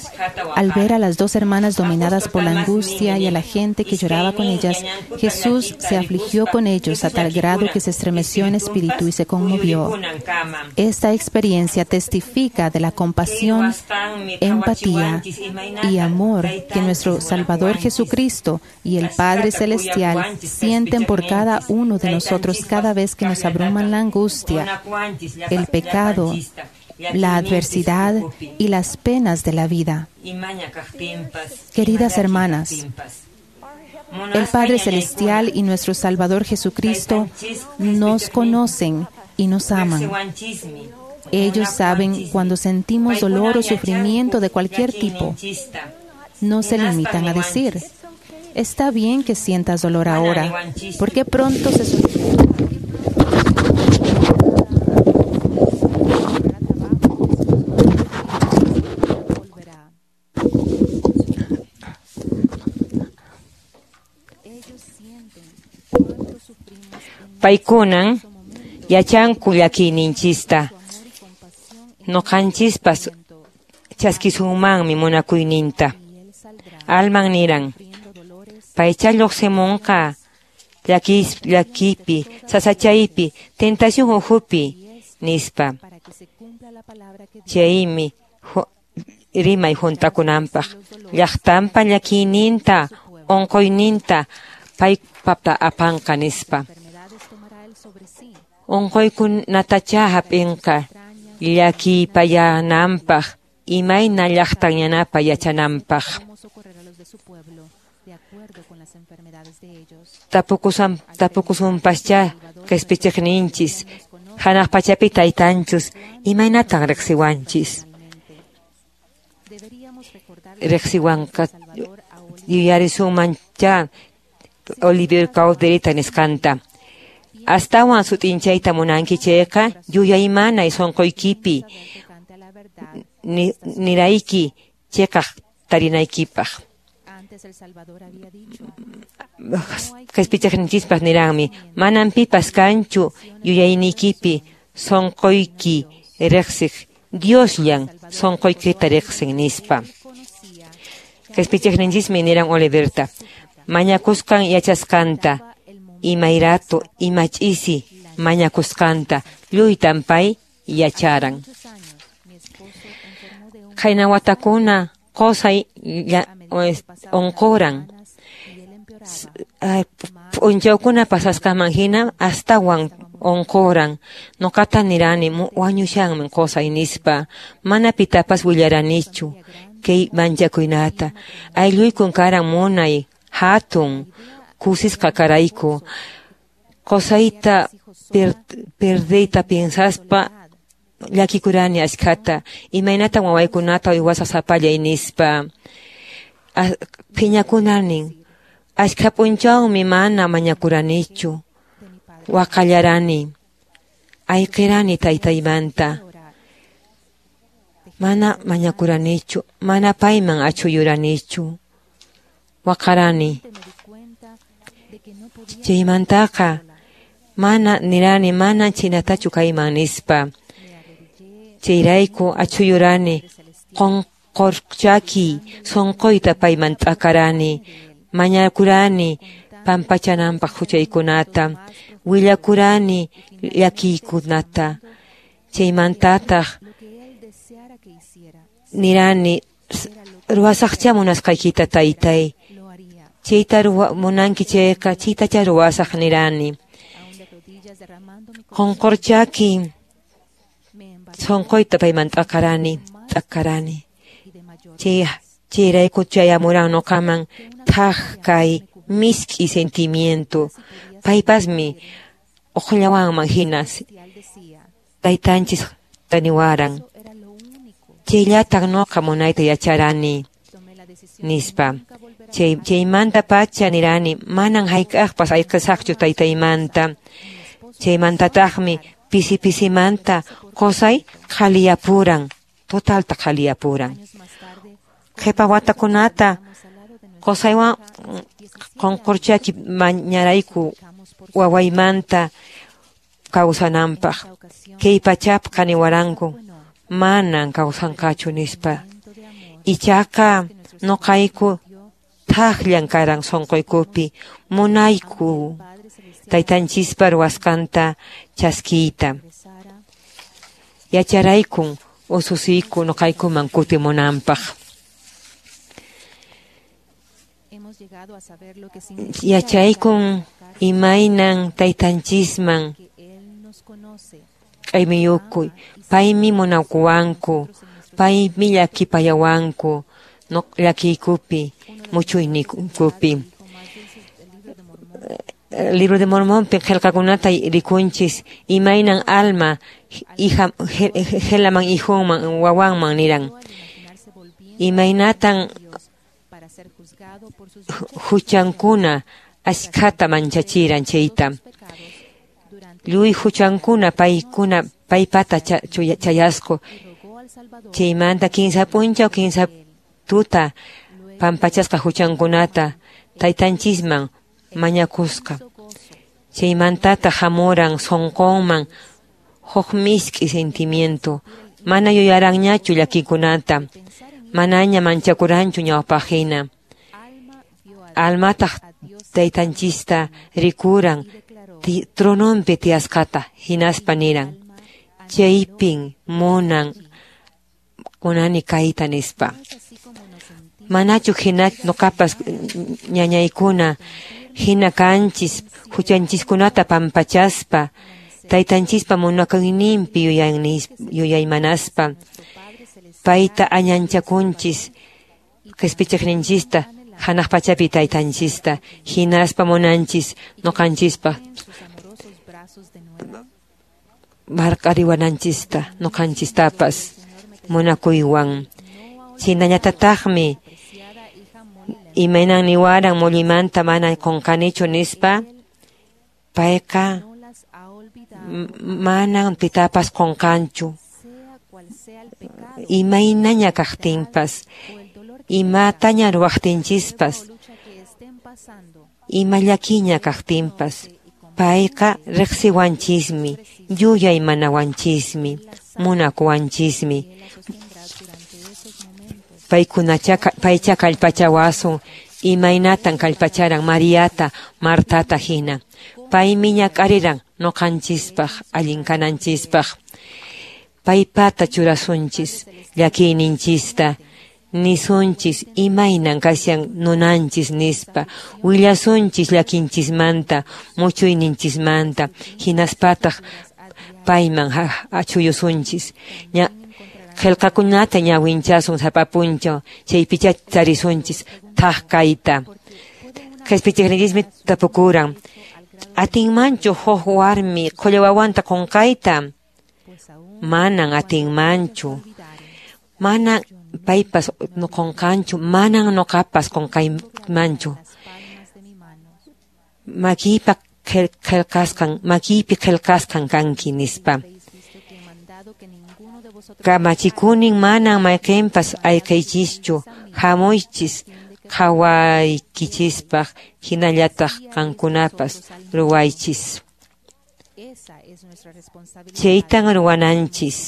al ver a las dos hermanas dominadas por la angustia y a la gente que lloraba con ellas, Jesús se afligió con ellos a tal grado que se estremeció en espíritu y se conmovió. Esta experiencia testifica de la compasión, empatía y amor que nuestro Salvador Jesucristo y el Padre Celestial sienten por cada uno de nosotros cada vez que nos abruman la angustia, el pecado, la adversidad y las penas de la vida. Queridas hermanas, El Padre Celestial y nuestro Salvador Jesucristo nos conocen y nos aman. Ellos saben cuando sentimos dolor o sufrimiento de cualquier tipo. No se limitan a decir, está bien que sientas dolor ahora, porque pronto se solucionará. Paykunan yachanku llakiyninchista. Ñuqanchispas chaskisunmanmi munakuyninta. Alman niran, paycha lluqsimunqa llakipi, sasachaypi, tentación ukhupi, nispa. Chaymi rimay juntakunanpaq llaqtanpa llakiyninta, unquyninta paypata apanqa nispa. Unquykunatacha hap'inqa llakipayananpaq, imayna llaqtan yanapa yachananpaq. Tapukusunpaschá qispichiqninchis, hanaq pachapi taytanchus, imaynatan riqsiwanchis. Riqsiwanqa yuyarisunmanchá Oliver Cowderyta nisqanta. Astawan sut'inchayta munanki chayqa yuyaymanay sunquykipi nirayki chiqaq tarinaykipaq. Qispichiqninchispaq niranmi, manan pipas kanchu yuyayniykipi sunquyki riqsiq, Diosllan sunquykita riqsin nispa. Qispichiqninchismi niran Oliverta, mañakusqan yachasqanta, imayratu, imach'isi mañakusqanta, lluytan pay yacharan. Qayna watakuna qusay unquran. P'unchawkuna pasasqanman hina astawan unquran. Ñuqata nirani wañushanmi qusay nispa. Mana pitapas willaranichu kay manchakuynata. Aylluykun karan munay, hatun, kusisqa karayku. Qusayta perdeyta piensaspa llakikurani achkhata. Imaynatan wawaykunata uywasaq sapallay nispa. Phiñakunanin. Achkha p'unchawmi mana mañakuranichu. Waqallarani. Ayqirani taytaymanta. Mana mañakuranichu. Mana payman achhuyuranichu. Waqarani. Chaymantaqa mana nirani mana chinatachu kayman nispa. Chayrayku achhuyurani Qonqorchaki sonqoyta payman t'akarani, mañakurani pampachananpaq huchaykunata, willakurani llakiykunata. Chaymantataq nirani ruwasaqcha munasqaykita taytay. Chayta munanki chayqa chaytacha ruwasaq nirani. Qonqorchaki sonqoyta payman t'akarani, t'akarani. Chayrayku chayamuran noqaman thaj kay misk'i sentimiento. Paypasmi uqllawanman hina taytanchis taniwaran. Chayllatan noqa munayta yacharani nispa. Chaymanta pacha nirani manan hayk'aqpas ayqisaqchu taytaymanta. Chaymantataqmi pisi pisimanta qosay qhaliyapuran, totalta qhaliyapuran. Qhipa watakunata qosaywan qonqorchaki mañarayku wawaymanta kawsananpaq. Kay pachapqa niwaranku manan kawsanqachu nispa. Ichaqa noqayku thaqllan karan sonqoykupi munayku taytanchispa ruwasqanta chaskiyta. Yacharaykun ususiyku noqaykuman kutimunanpaq. Yachaykun imaynan taytanchisman q'aymiyukuy. Paymi munakuwanku, paymi llakipayawanku llakiykupi, muchuyniykupi. Libro de Mormonpi qillqakunata rikunchis imaynan alma hija helaman hijunman wawanman niran. Imaynatan huchankuna ashkhata manchachiran chayta. Lluy huchankuna paykuna paypata chayasqu. Chaymanta kinsa p'unchaw kinsa tuta pampachasqa huchankunata taytanchisman mañakusqa. Chaymantataq hamuran sonqonman huk misk'i sentimiento. Mana yuyaranñachu llakikunata, manaña manchakuranchu ñawpaqhina. Almataq taytanchista rikuran trononpi tiyasqata hinaspa niran: chaypin munan munani kayta nispa. Manachu hina noqapas ñañaykuna hina kanchis huchanchiskunata pampachaspa taytanchispa munakuyninpi yuyaymanaspa payta añanchakunchis qispichiqninchista hanaq pachapi taytanchista hinaspa munanchis noqanchispa marq'ariwananchista noqanchistapas munakuywan. Chhaynallatataqmi imaynan niwaran mullimanta mana qunqanichu nispa, payqa manan pitapas qunqanchu. Imaynaña kaqtinpas, imataña ruwaqtinchispas, ima llakiña kaqtinpas, payqa riqsiwanchismi, yuyaymanawanchismi, munakuwanchismi. Paycha kallpachawasun imaynatan kallpacharan Mariata, Martata hina. Paymi ñak'ariran noqanchispaq, allin kananchispaq. Paypata churasunchis llakiyninchista, nisunchis imaynan kashan nunanchis nispa, willasunchis llakinchismanta, muchuyninchismanta, hinaspataq payman achuyusunchis. Qillqakunata ñawinchasun sapa p'unchaw, chaypicha tarisunchis thaj kayta. Qispichiqninchismi tapukuran: atinmanchu huk warmi qhulla wawanta qunqayta? Manan atinmanchu. Manan paypas qunqanchu, manan noqapas qunqaymanchu. Makiypa qillqasqan, makiypi qillqasqan kanki nispa. Kamachikunin manan mayqinpas ayqiychischu, hamuychis qhawaykichispaq hinallataq qankunapas ruwaychis. Chaytan ruwananchis.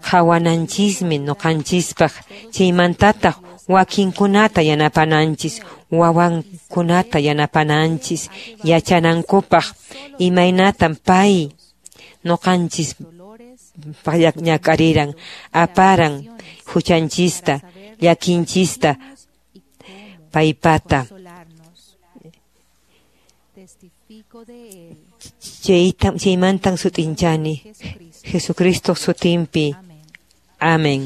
Qhawananchismi ñuqanchispaq, chaymantataq wakinkunata yanapananchis, wawankunata yanapananchis yachanankupaq imaynatam pay ñuqanchis ñak'ariran, aparan huchanchista, llakinchista paypata. Chaymantan sut'inchani Jesucristo sutinpi. Amén.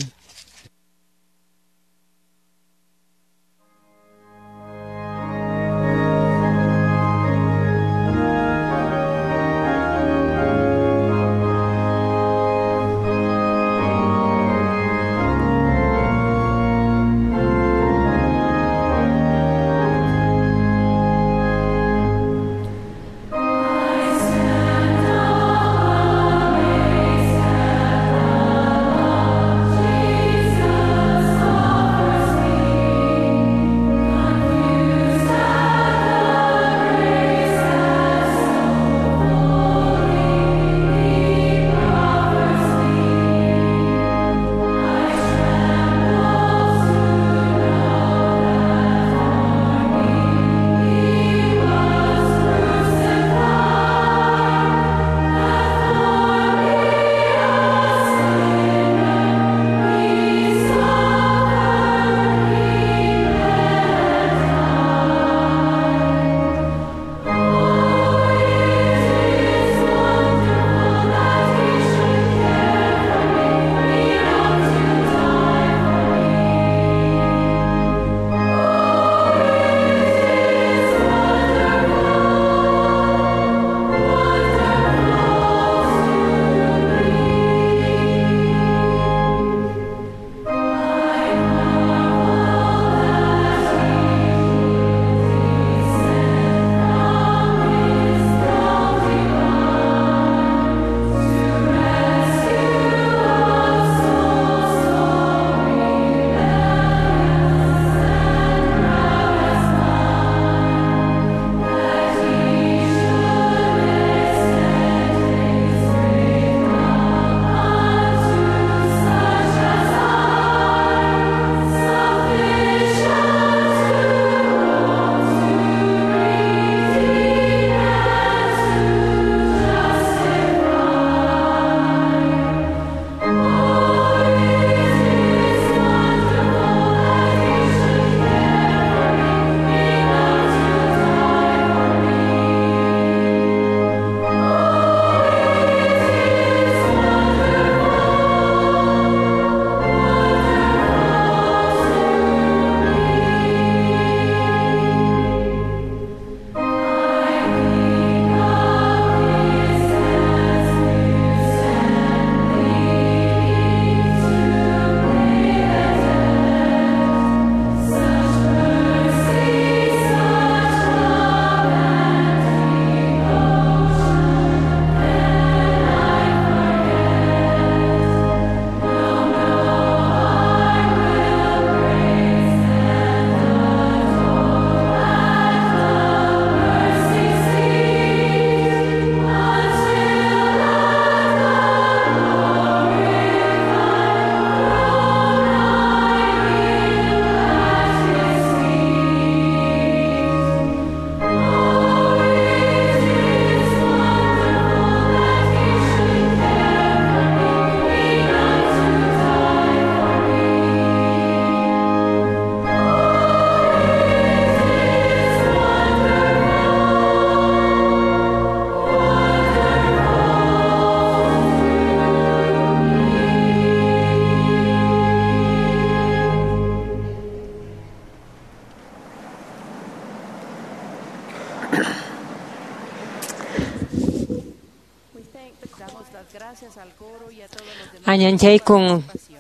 Añanchaykun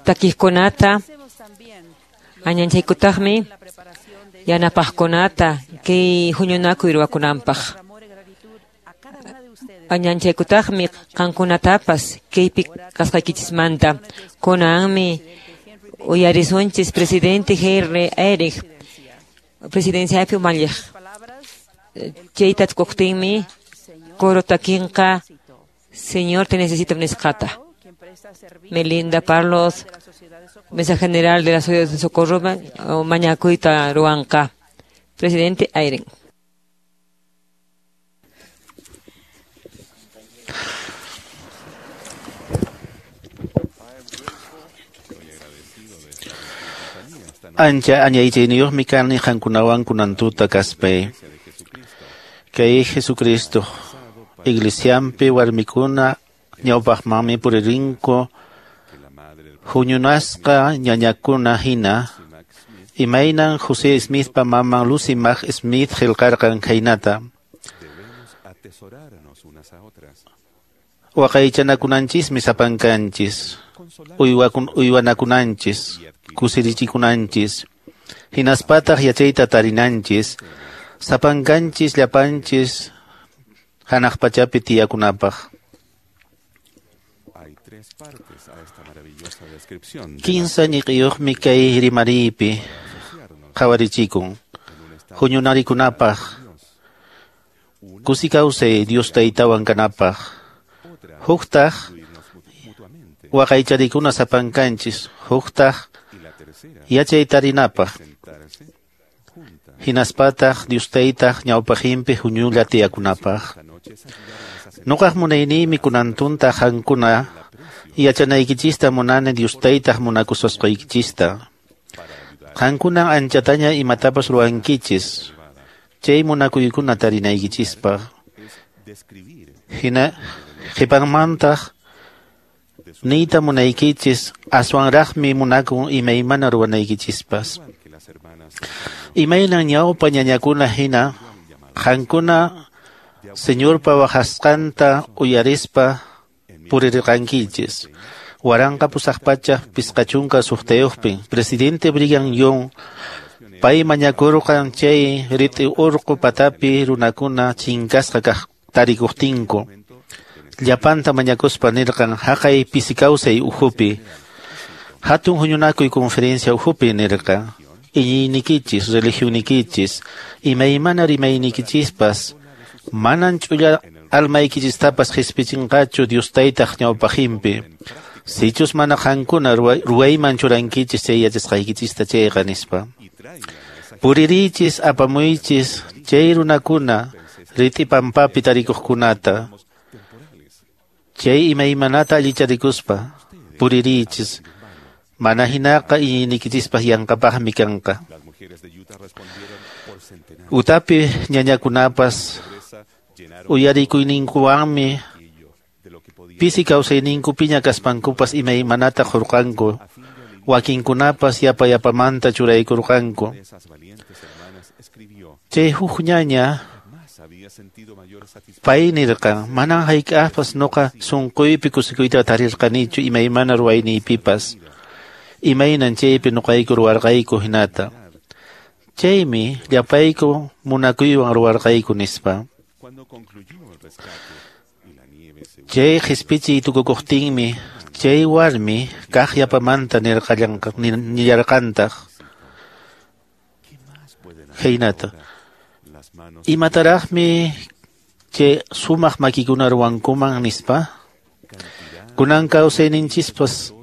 takiqkunata, añanchaykutaqmi yanapaqkunata kay huñunakuy ruwakunanpaq. Añanchaykutaqmi qankunatapas kaypi kasqaykichismanta. Kunanmi uyarisunchis presidente Henry Eyring, presidenciapi umalliq. Chayta tukuqtinmi coro takinqa Señor te necesito nisqata. Melinda Parlos, Mesa General de la Sociedad de Socorro, Mañacuita Ruanca. Presidente Airen. Ancha añaychayniyuqmi kani qankunawan kunantuta kaspay. Kay Jesucristo iglesianpi warmikuna ñawpaqmanmi puririnku huñunasqa ñañakuna hina imaynan José Smithpa maman Lucy Mack Smith qillqarqan khaynata. Waqaychanakunanchismi sapankanchis, uywanakunanchis, kusirichikunanchis, hinaspataq yachayta tarinanchis, sapankanchis llapanchis hanaq pachapi tiyakunapaq. Kinsa ñiqiyuqmi kay rimariypi qhawarichikun, huñunarikunapaq, kusi kawsay Dios taytawan kanapaq, huktaq waqaycharikuna sapankanchis, huktaq yachay tarinapaq, hinaspataq Dios taytaq ñawpaqinpi huñulla tiyakunapaq. Nuqaq munayniymi kunantunta qankuna yachanaykichista munani Dios taytaq munakususqaykichista. Qankunan anchataña imatapas ruwankichis, chay munakuykuna tarinaykichispaq. Hina qhipanmantaq niyta munaykichis aswanraqmi munakun imaymana ruwanaykichispas. Imaynan ñawpa ñañakuna hina qankuna Señorpa waqasqanta uyarispa purirqankichis. 1856 presidente Brigham Young pay mañakurqan chay rit'i urqu patapi runakuna chinkasqa kaq tarikuqtinku. Llapanta mañakuspa nirqan haqay pisi kawsay ukhupi, hatun huñunakuy conferencia ukhupi nirqa, iñiynikichis, religionikichis, imaymana rimaynikichispas, manan ch'ulla almaykichistapas qispichinqachu Dios taytaq ñawpaqinpi. Sichus mana qankuna ruwayman churankichis chay yachasqaykichista chayqa nispa. Puririychis apamuychis chay runakuna rit'i pampapi tarikuqkunata, chay imaymanata allicharikuspa puririychis, mana hinaqa iñiyniykichispas yanqapaqmi kanqa. Utapi ñañakunapas uyarikuyninkuwanmi pisi kawsayninkupiña kaspankupas imaymanata qurqanku, wakinkunapas yapa yapamanta churaykurqanku. Chay huk ñaña pay nirqan, manan hayk'aqpas nuqa sunquypi kusikuyta tarirqanichu imaymana ruwayniypipas, imaynan chaypi nuqayku ruwarqayku hinata. Chaymi llapayku munakuywan ruwarqayku nispa. Chay qispichiy tukukuqtinmi chay warmi kaq yapamanta nillarqantaq khaynata. Imataraqmi chay sumaq makikuna ruwankuman nispa. Kunan kawsayninchispas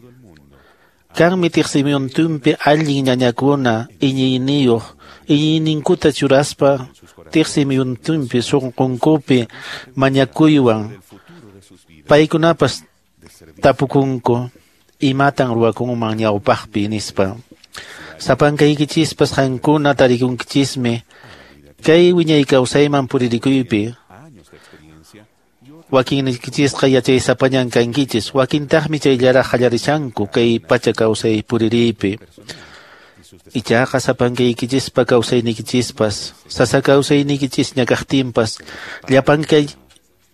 kanmi tiqsimuyuntinpi allin ñañakuna iñiyniyuq iñiyninkuta churaspa tiqsimuyuntinpi sunqunkupi mañakuywan paykunapas tapukunku imatan ruwakunman ñawpaqpi nispa. Sapankaykichispas qankuna tarikunkichismi kay wiñay kawsayman puririkuypi. Wakinnikichisqa yachaysapañan kankichis, wakintaqmi chayllaraq qallarishanku kay pacha kawsay puririypi. Ichaqa sapankaykichispa kawsaynikichispas, sasa kawsaynikichisña kaqtinpas,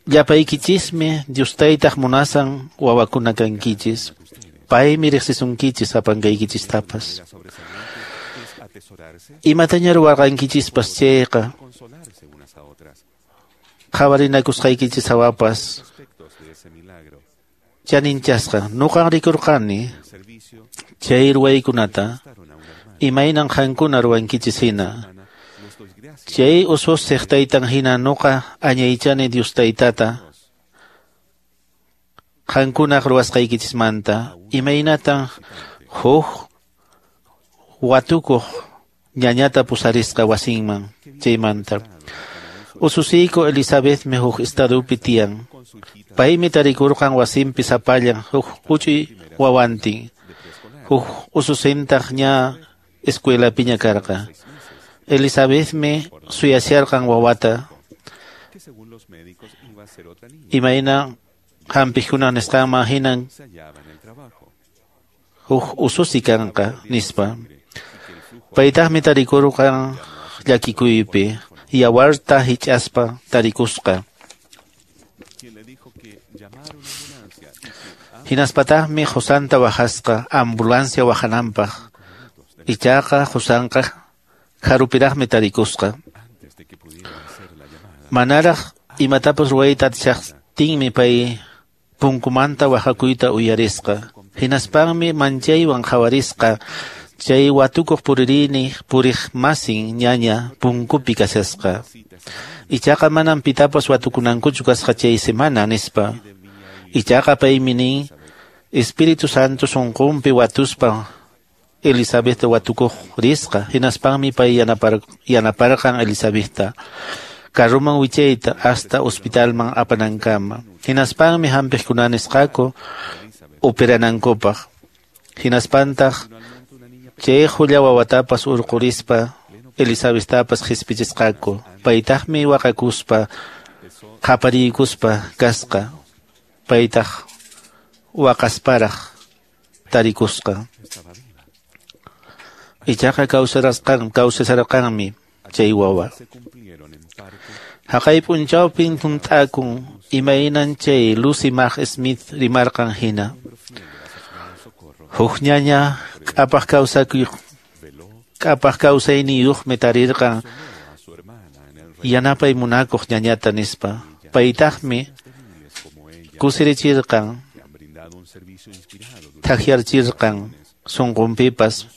llapaykichismi Dios taytaq munasan wawakuna kankichis. Paymi riqsisunkichis sapankaykichistapas. Imataña ruwarqankichispas chayqa, qhawarinakusqaykichis hawapas chaninchasqa. Nuqan rikurqani chay ruwaykunata imaynan qankuna ruwankichis hina. Chay ususiq taytan hina nuqa añaychani Dios taytata Qankunaq ruwasqaykichismanta imaynatan huk watukuq ñañata pusarisqa wasinman chaymanta. Ususiyku Elizabethmi huk estadupi tiyan. Paymi tarikurqan wasinpi sapallan huk huch'uy wawantin. Huk ususintaq ña escuelapiña karqa. Elizabethmi suyasharqan wawata. Imayna hampiqkuna nisqanman hinan huk ususi kanqa nispa. Paytaqmi tarikurqan llakikuypi, yawarta hich'aspa tarikusqa. Hinaspataqmi qusanta waqasqa ambulancia waqananpaq. Ichaqa qusanqa karupiraqmi tarikusqa. Manaraq imatapas ruwayta atishaqtinmi pay punkumanta waqakuyta uyarisqa. Hinaspanmi manchaywan qhawarisqa chay watukuq puririni puriqmasin ñaña punkupi kashasqa. Ichaqa manam pitapas watukunankuchu kasqa chay semana nispa. Ichaqa paymi nin Espíritu Santo sunqunpi watuspa Elizabethta watukuq risqa. Hinaspanmi pay yanaparqan Elizabethta carruman wichayta hasta hospitalman apanankama. Hinaspanmi hampiqkuna nisqaku operanankupaq. Hinaspantaq chay hulla wawatapas urqurispa Elizabethtapas qhispichisqaku. Paytaqmi waqakuspa qapariykuspa kasqa. Paytaq waqasparaq tarikusqa. Ichaqa kawsasarqanmi chay wawa. Haqay p'unchawpin hunt'akun imaynan chay Lucy Mack Smith rimarqan hina. Huk ñaña k'apaq kawsayniyuqmi tarirqan yanapay munakuq ñañata nispa. Paytaqmi kusirichirqan, thakyarchirqan sunqunpipas.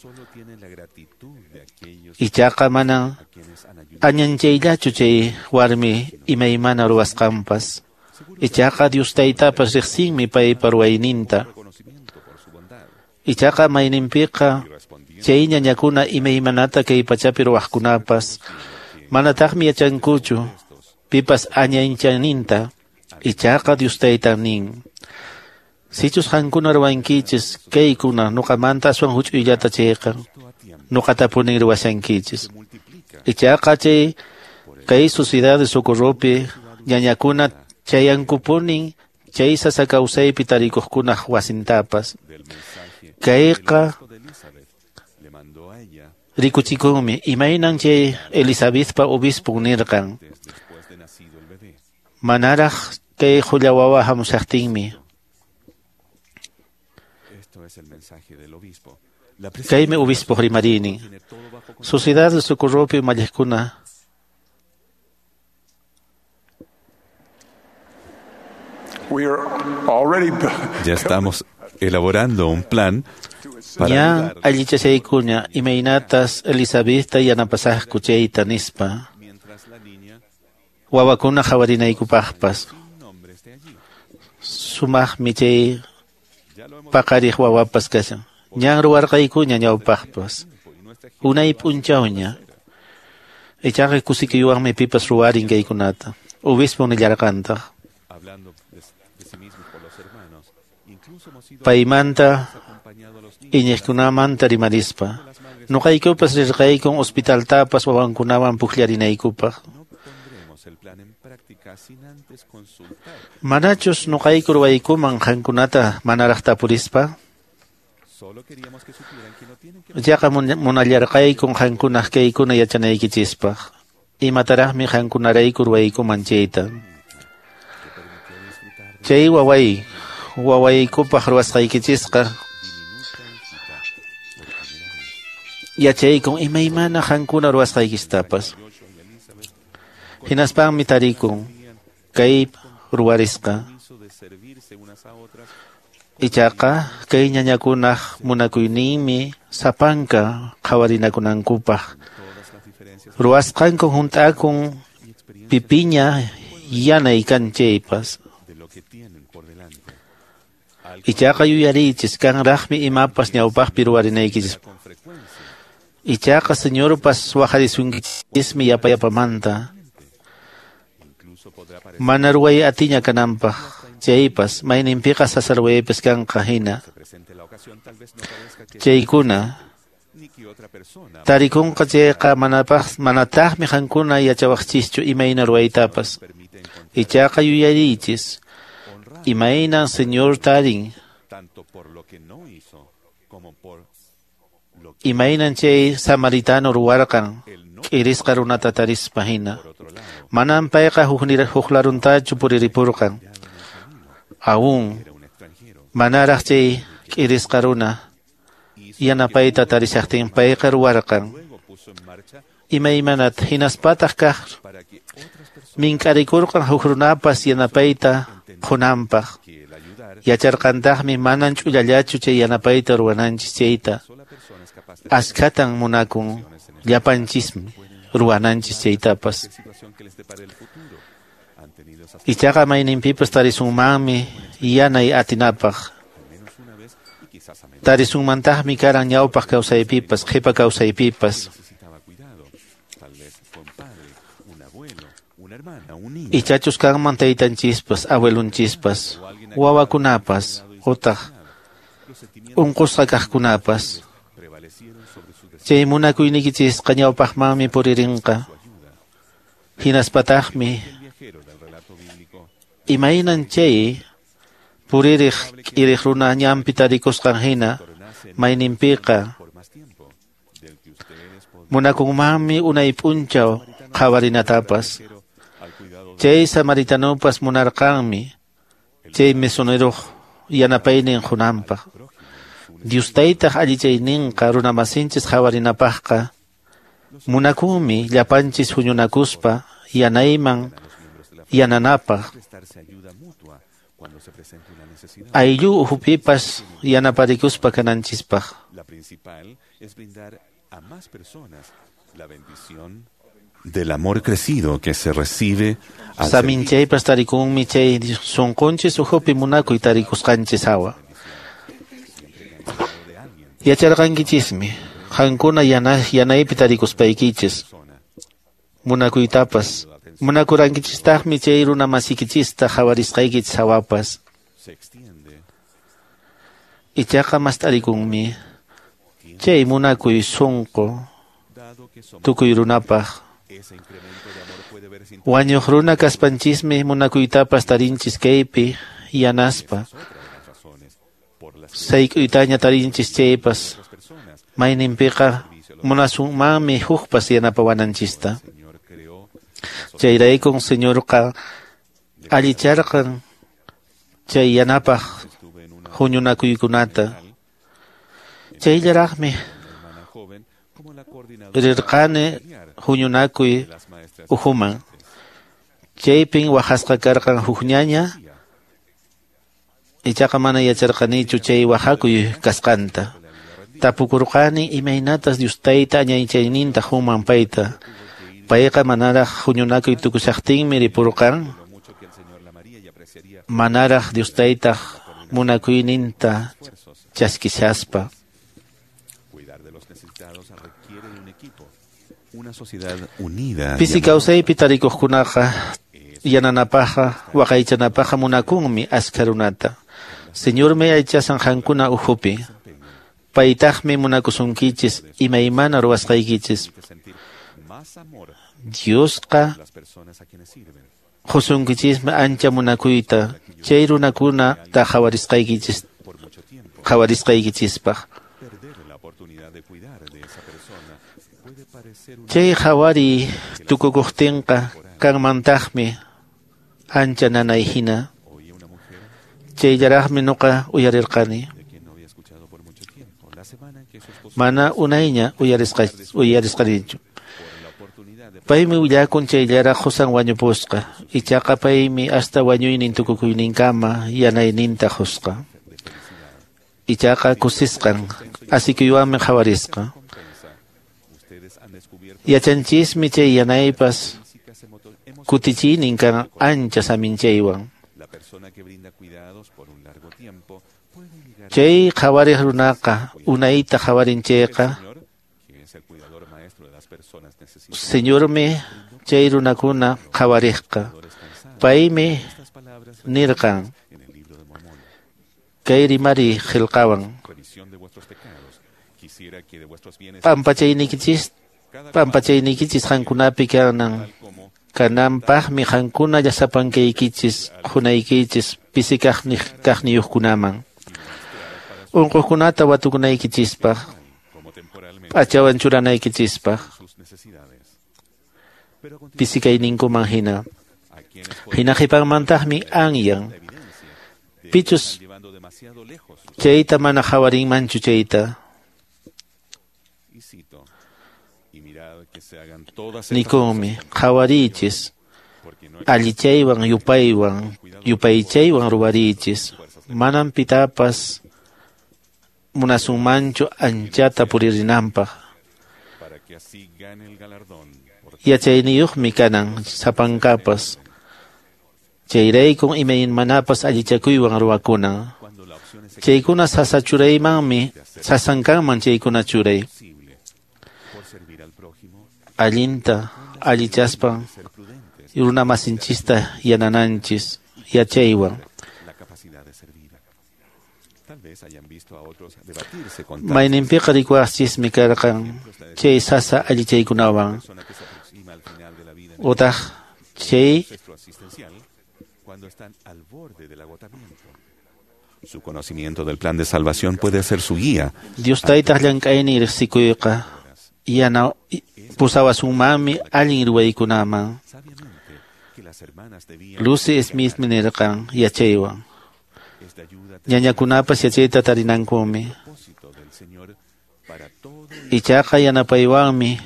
Ichaqa manan añanchayllachu chay warmi imaymana ruwasqanpas. Ichaqa Dios Taytapas riqsinmi paypa ruwayninta. Ichaqa mayninpiqa chay ñañakuna imaymanata kay pachapi ruwaqkunapas manataqmi yachankuchu pipas añanchayninta. Ichaqa Dios Taytan nin: Sichus qankuna ruwankichis kaykuna nuqamanta aswan huch'uyllata chayqa nuqatapunin ruwashankichis. Ichaqa chay kay Sociedad de Socorropi ñañakuna chayankupunin chay sasa kawsaypi tarikuqkunaq wasintapas. Kayqa rikuchikunmi imaynan chay Elizabethpa obispun nirqan. Manaraq kay hulla wawa hamushaqtinmi. Kaymi obispo rimarini. Sociedad de Socorropi umalliqkuna. Ya estamos elaborando un plan para ña allichashaykuña imaynatas Elizabethta yanapasaqku chayta nispa. Wawakuna qhawarinaykupaqpas. Sumaqmi chay paqariq wawapas kashan. Ñan ruwarqaykuña ñawpaqpas. Unay p'unchawña. Ichaqa kusikuywanmi pipas ruwarin kaykunata. Obispo nillarqantaq. Paymanta iñiqkunamanta rimarispa. Nuqaykupas rirqaykun hospitaltapas wawankunawan puklarinaykupaq. Manachus nuqayku ruwaykuman qankunata manaraq tapurispa. Ichaqa munallarqaykun qankunaq kaykuna yachanaykichispaq. Imataraqmi qankunarayku ruwaykuman chayta. Chay wawaykupaq ruwasqaykichisqa yachaykun imaymana qankuna ruwasqaykistapas. Hinaspanmi tarikun kay ruwarisqa. Ichaqa kay ñañakunaq munakuyninmi sapanka qhawarinakunankupaq. Ruwasqanku hunt'akun pipiña yanay kan chaypas. Ichaqa yuyariychis kanraqmi imapas ñawpaqpi ruwarinaykichis. Ichaqa Señorpas waqarisunkichismi yapayapamanta. Mana ruway atiña kananpaq chaypas mayninpiqa sasa ruwaypas kanqa hina. Chaykuna tarikunqa chayqa manataqmi qankuna yachawaqchischu imayna ruwaytapas. Ichaqa yuyariychis imaynan Señor tarin imaynan chay samaritano ruwarqan k'irisqa runata tarispa hina. Manan payqa huklaruntachu puriripurqan. Aún manaraq chay k'irisqa runa yanapayta tarishaqtin payqa ruwarqan. Imaymanata hinaspataq kaq mink'arikurqan huk runapas yanapayta qunanpaq. Yacharqantaqmi manan ch'ullallachu chay yanapayta ruwananchis chayta. Askhatan munakun llapanchismi ruwananchis chaytapas. Ichaqa mayninpipas tarisunmanmi yanay atinapaq. Tarisunmantaqmi karan ñawpaq kawsaypipas, qhipa kawsaypipas. Ichachus kanman taytanchispas, abuelunchispas, wawakunapas, utaq unqusqa kaqkunapas. Chay munakuyniykichisqa ñawpaqmanmi puririnqa. Hinaspataqmi imaynan chay puririq k'iriq runa ñanpi tarikusqan hina mayninpiqa munakunmanmi unay p'unchaw qhawarinatapas. Chay samaritanopas munarqanmi chay mesoneroq yanapaynin qunanpaq. Dios taytaq allichayninqa runamasinchis qhawarinapaqqa munakunmi llapanchis huñunakuspa yanayman yananapaq. Ayllu uhupipas yanaparikuspa kananchispaq. Del amor crecido que se recibe al Saminchaypas tarikunmi chay sunqunchis uhupi munakuy tarikusqanchis hawa. Yacharqankichismi qankuna yanaypi tarikuspaykichis munakuytapas munakurankichistaqmi chay runa masikichista qhawarisqaykichis hawapas. Ichaqa mast'arikunmi chay munakuy sunqu tukuy runapaq. Wañuq runa kaspanchismi munakuytapas tarinchis kaypi yanaspa. Sayk'uytaña tarinchis chaypas mayninpiqa munasunmanmi hukpas yanapawananchista. Chayraykun Señorqa allicharqan chay yanapaq huñunakuykunata. Chayllaraqmi rirqani huñunakuy uhuman. Chaypin waqasqa karqan huk ñaña, ichaqa mana yacharqanichu chay waqakuy kasqanta. Tapukurqani imaynatas Dios tayta añaychayninta human payta. Payqa manaraq huñunakuy tukushaqtinmi ripurqan. Manaraq Dios taytaq munakuyninta chaskishaspa. Pisi kawsaypi tarikuqkunaqa yananapaqqa waqaychanapaqqa munakunmi askha runata. Señormi aychasan qankuna uhupi. Paytaqmi munakusunkichis imaymana ruwasqaykichis. Diosqa qusunkichismi ancha munakuyta chay runakunata qhawarisqaykichispaq. Chay qhawariy tukukuqtinqa kanmantaqmi ancha nanay hina. Chayllaraqmi nuqa uyarirqani. Mana unayña uyarisqanichu. Paymi willakun chayllaraq qusan wañupusqa. Ichaqa paymi hasta wañuynin tukukuyninkama yanayninta qusqa. Ichaqa kusisqan asikuywanmi qhawarisqa. Yachanchismi chay yanaypas kutichiynin kan ancha saminchaywan. Chay qhawariq runaqa unayta qhawarin chayqa, Señormi chay runakuna qhawariqqa. Paymi nirqan kay rimari qillqawan: Pampachayniykichis qankunapi kananpaqmi qankuna llasapankaykichis qunaykichis pisi kaqniyuqkunaman, unquqkunata watukunaykichispaq, p'achawan churanaykichispaq, pisi kayninkuman hina. Hina qhipanmantaqmi anyan pichus chayta mana qhawarinmanchu chayta. Nikunmi: qhawariychis, allichaywan yupaychaywan ruwariychis, manam pitapas munasunmanchu anchata puririnanpaq. Yachayniyuqmi kanan sapankapas, chayraykun imaymanapas allichakuywan ruwakunan. Chaykuna sasa churaymanmi, sasan kanman chaykuna churay. Allinta allichaspan runamasinchista yanananchis yachaywan. Mayninpiqa rikuwaqchismi karqan chay sasa allichaykunawan, utaq chay Su conocimiento del plan de salvación puede ser su guía. Dios taytaq llank'aynin riqsikuyqa yana pusawasunmanmi allin ruwaykunaman. Lucy Smithmi nirqan yachaywan: ñañakunapas yachayta tarinankumi. Ichaqa yanapaywanmi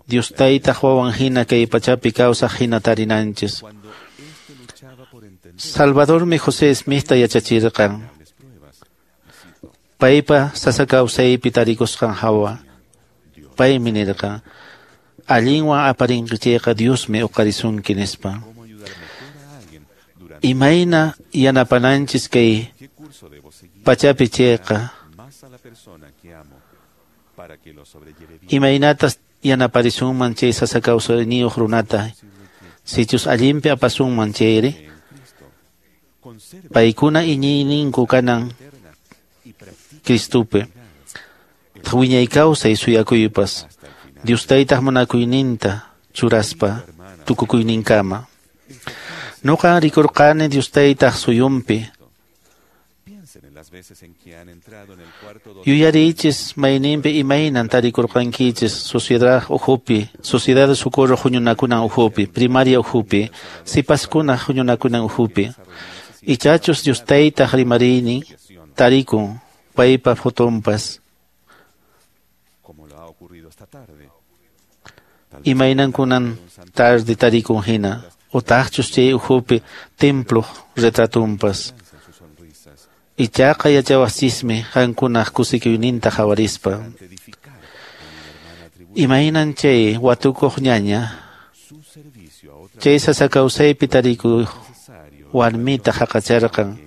Dios taytaq wawan hina kay pachapi kawsaq hina tarinanchis. Salvadormi José Smithta yachachirqan paypa sasa kawsaypi tarikusqan hawa. Paymi nirqan: allinwan aparinki chayqa Diosmi uqarisunki, nispa. Imayna yanapananchis kay pachapi chayqa, imaynatas yanaparisunman chay sasa kawsayniyuq runata, sichus allinpi apasunman chayri, paykuna iñiyninku kanan Cristopi, wiñay kawsay suyakuypas, Dios taytaq munakuyninta churaspa tukukuyninkama. Nuqan rikurqani Dios taytaq suyunpi. Yuyariychis mayninpi imaynan tarikurqankichis sociedad ukhupi, Sociedad de Socorro huñunakunan ukhupi, primaria ukhupi, sipaskuna huñunakunan ukhupi. Ichachus Dios taytaq rimariynin tarikun paypa fotonpas. Imaynankunan tarde tarikun hina, utaqchus chay ukhupi temploq retratunpas. Ichaqa yachawaqchismi qankunaq kusikuyninta qhawarispa. Imaynan chay watukuq ñaña, chay sasa kawsaypi tarikuq warmita haqacharqan.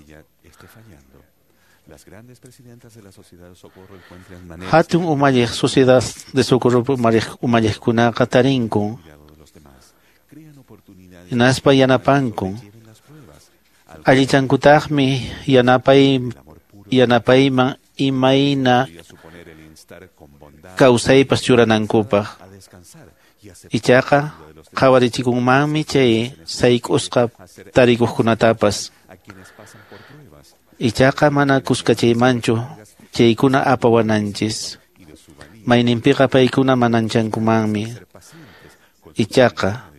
Hatun umalliq Sociedad de Socorro umalliqkunaqa tarinkun, hinaspa yanapankun. Allichankutaqmi yanapayman imayna kawsaypas churanankupaq. Ichaqa qhawarichikunmanmi chay sayk'usqa tarikuqkunatapas. Ichaqa mana kuskachaymanchu chaykuna apawananchis. Mayninpiqa paykuna mananchankumanmi. Ichaqa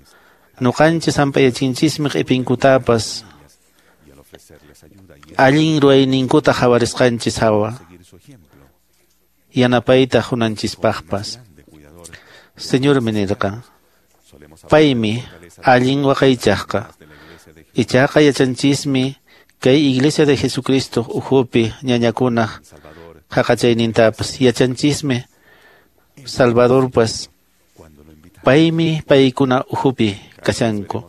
nuqanchis hamp'ayachinchismi q'ipinkutapas allin ruwayninkuta qhawarisqanchis hawa, yanapayta qunanchispaqpas. Señormi nirqan: paymi allin waqaychaqqa. Ichaqa yachanchismi kay Iglesia de Jesucristo ukhupi ñañakunaq haqachaynintapas, yachanchismi Salvadorpas paymi paykuna ukhupi kashanku.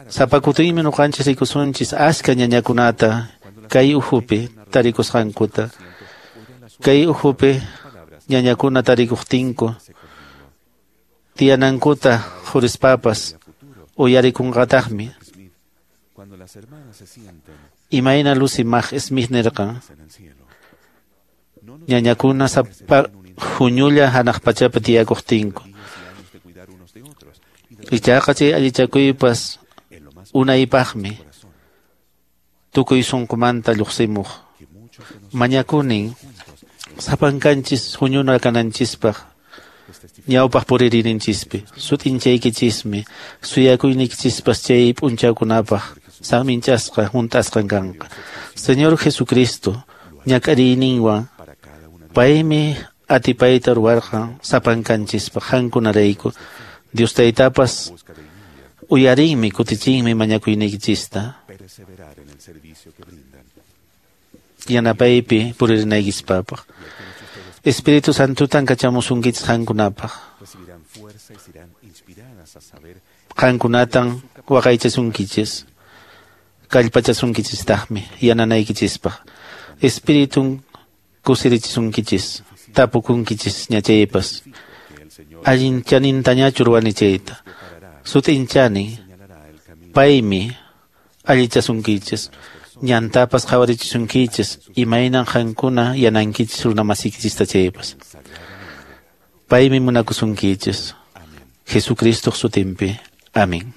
Sapa kutinmi ñuqanchis rikusunchis achka ñañakunata kay uhupi tarikusqankuta. Kay uhupi ñañakuna tarikuqtinku tiyanankuta qurispapas uyarikunqataqmi. Imayna Lucy Mack Smith nirqan ñañakuna sapa huñulla hanaq pachapi tiyakuqtinku. Ichaqa chay allichakuypas unaypaqmi tukuy sunqumanta lluqsimuq. Mañakunin sapankanchis huñuna kananchispaq ñawpaq puririninchispi sut'inchaykichismi suyakuynikichispas chay p'unchawkunapaq saminchasqa hunt'asqan kanqa. Señor Jesucristo ñak'ariyninwan paymi atipayta ruwarqan sapankanchispaq qankunarayku. Dios Taytapas uyarinmi kutichinmi mañakuynikichista yanapaypi puririnaykipaq. Espíritu Santutan kachamusunkichis qankunapaq. Qankunatan waqaychasunkichis, kallpachasunkichistaqmi yananaykichispaq. Espiritun kusirichisunkichis, tapukunkichis ñachaypas. Allin chanintañachu ruwani chayta. Sut'inchani paymi allichasunkichis, ñantapas qhawarichisunkichis, imaynan qankuna yanankichis runamasikichista chaypas. Paymi munakusunkichis. Jesucristoq sutinpi. Amén.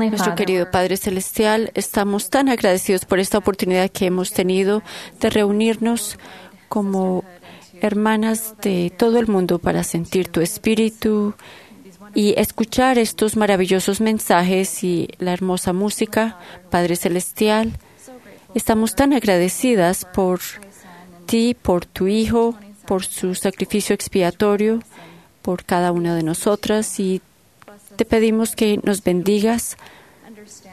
Nuestro querido Padre Celestial, estamos tan agradecidos por esta oportunidad que hemos tenido de reunirnos como hermanas de todo el mundo para sentir tu espíritu y escuchar estos maravillosos mensajes y la hermosa música. Padre Celestial, estamos tan agradecidas por ti, por tu Hijo, por su sacrificio expiatorio, por cada una de nosotras, y te pedimos que nos bendigas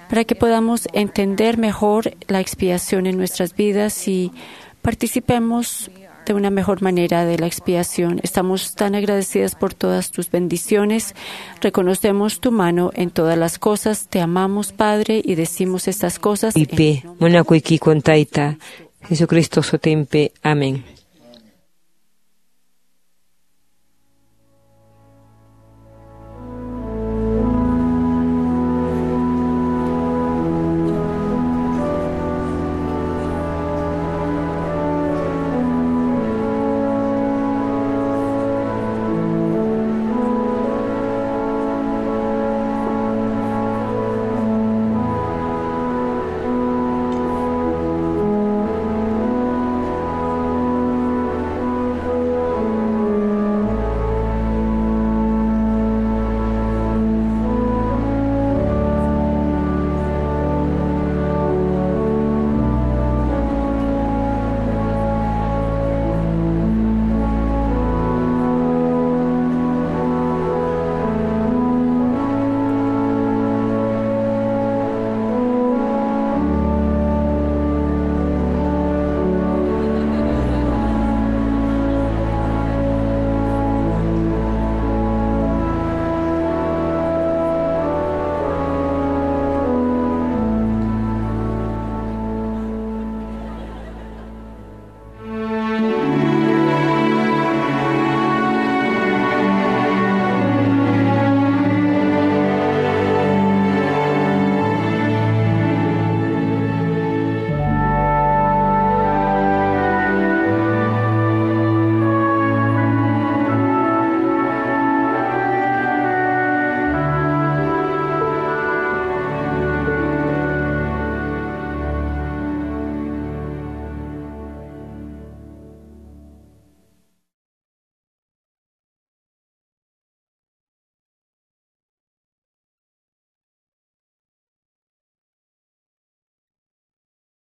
para que podamos entender mejor la expiación en nuestras vidas y participemos de una mejor manera de la expiación. Estamos tan agradecidas por todas tus bendiciones. Reconocemos tu mano en todas las cosas. Te amamos, Padre, y decimos estas cosas. Jesucristo sotempe. Amén.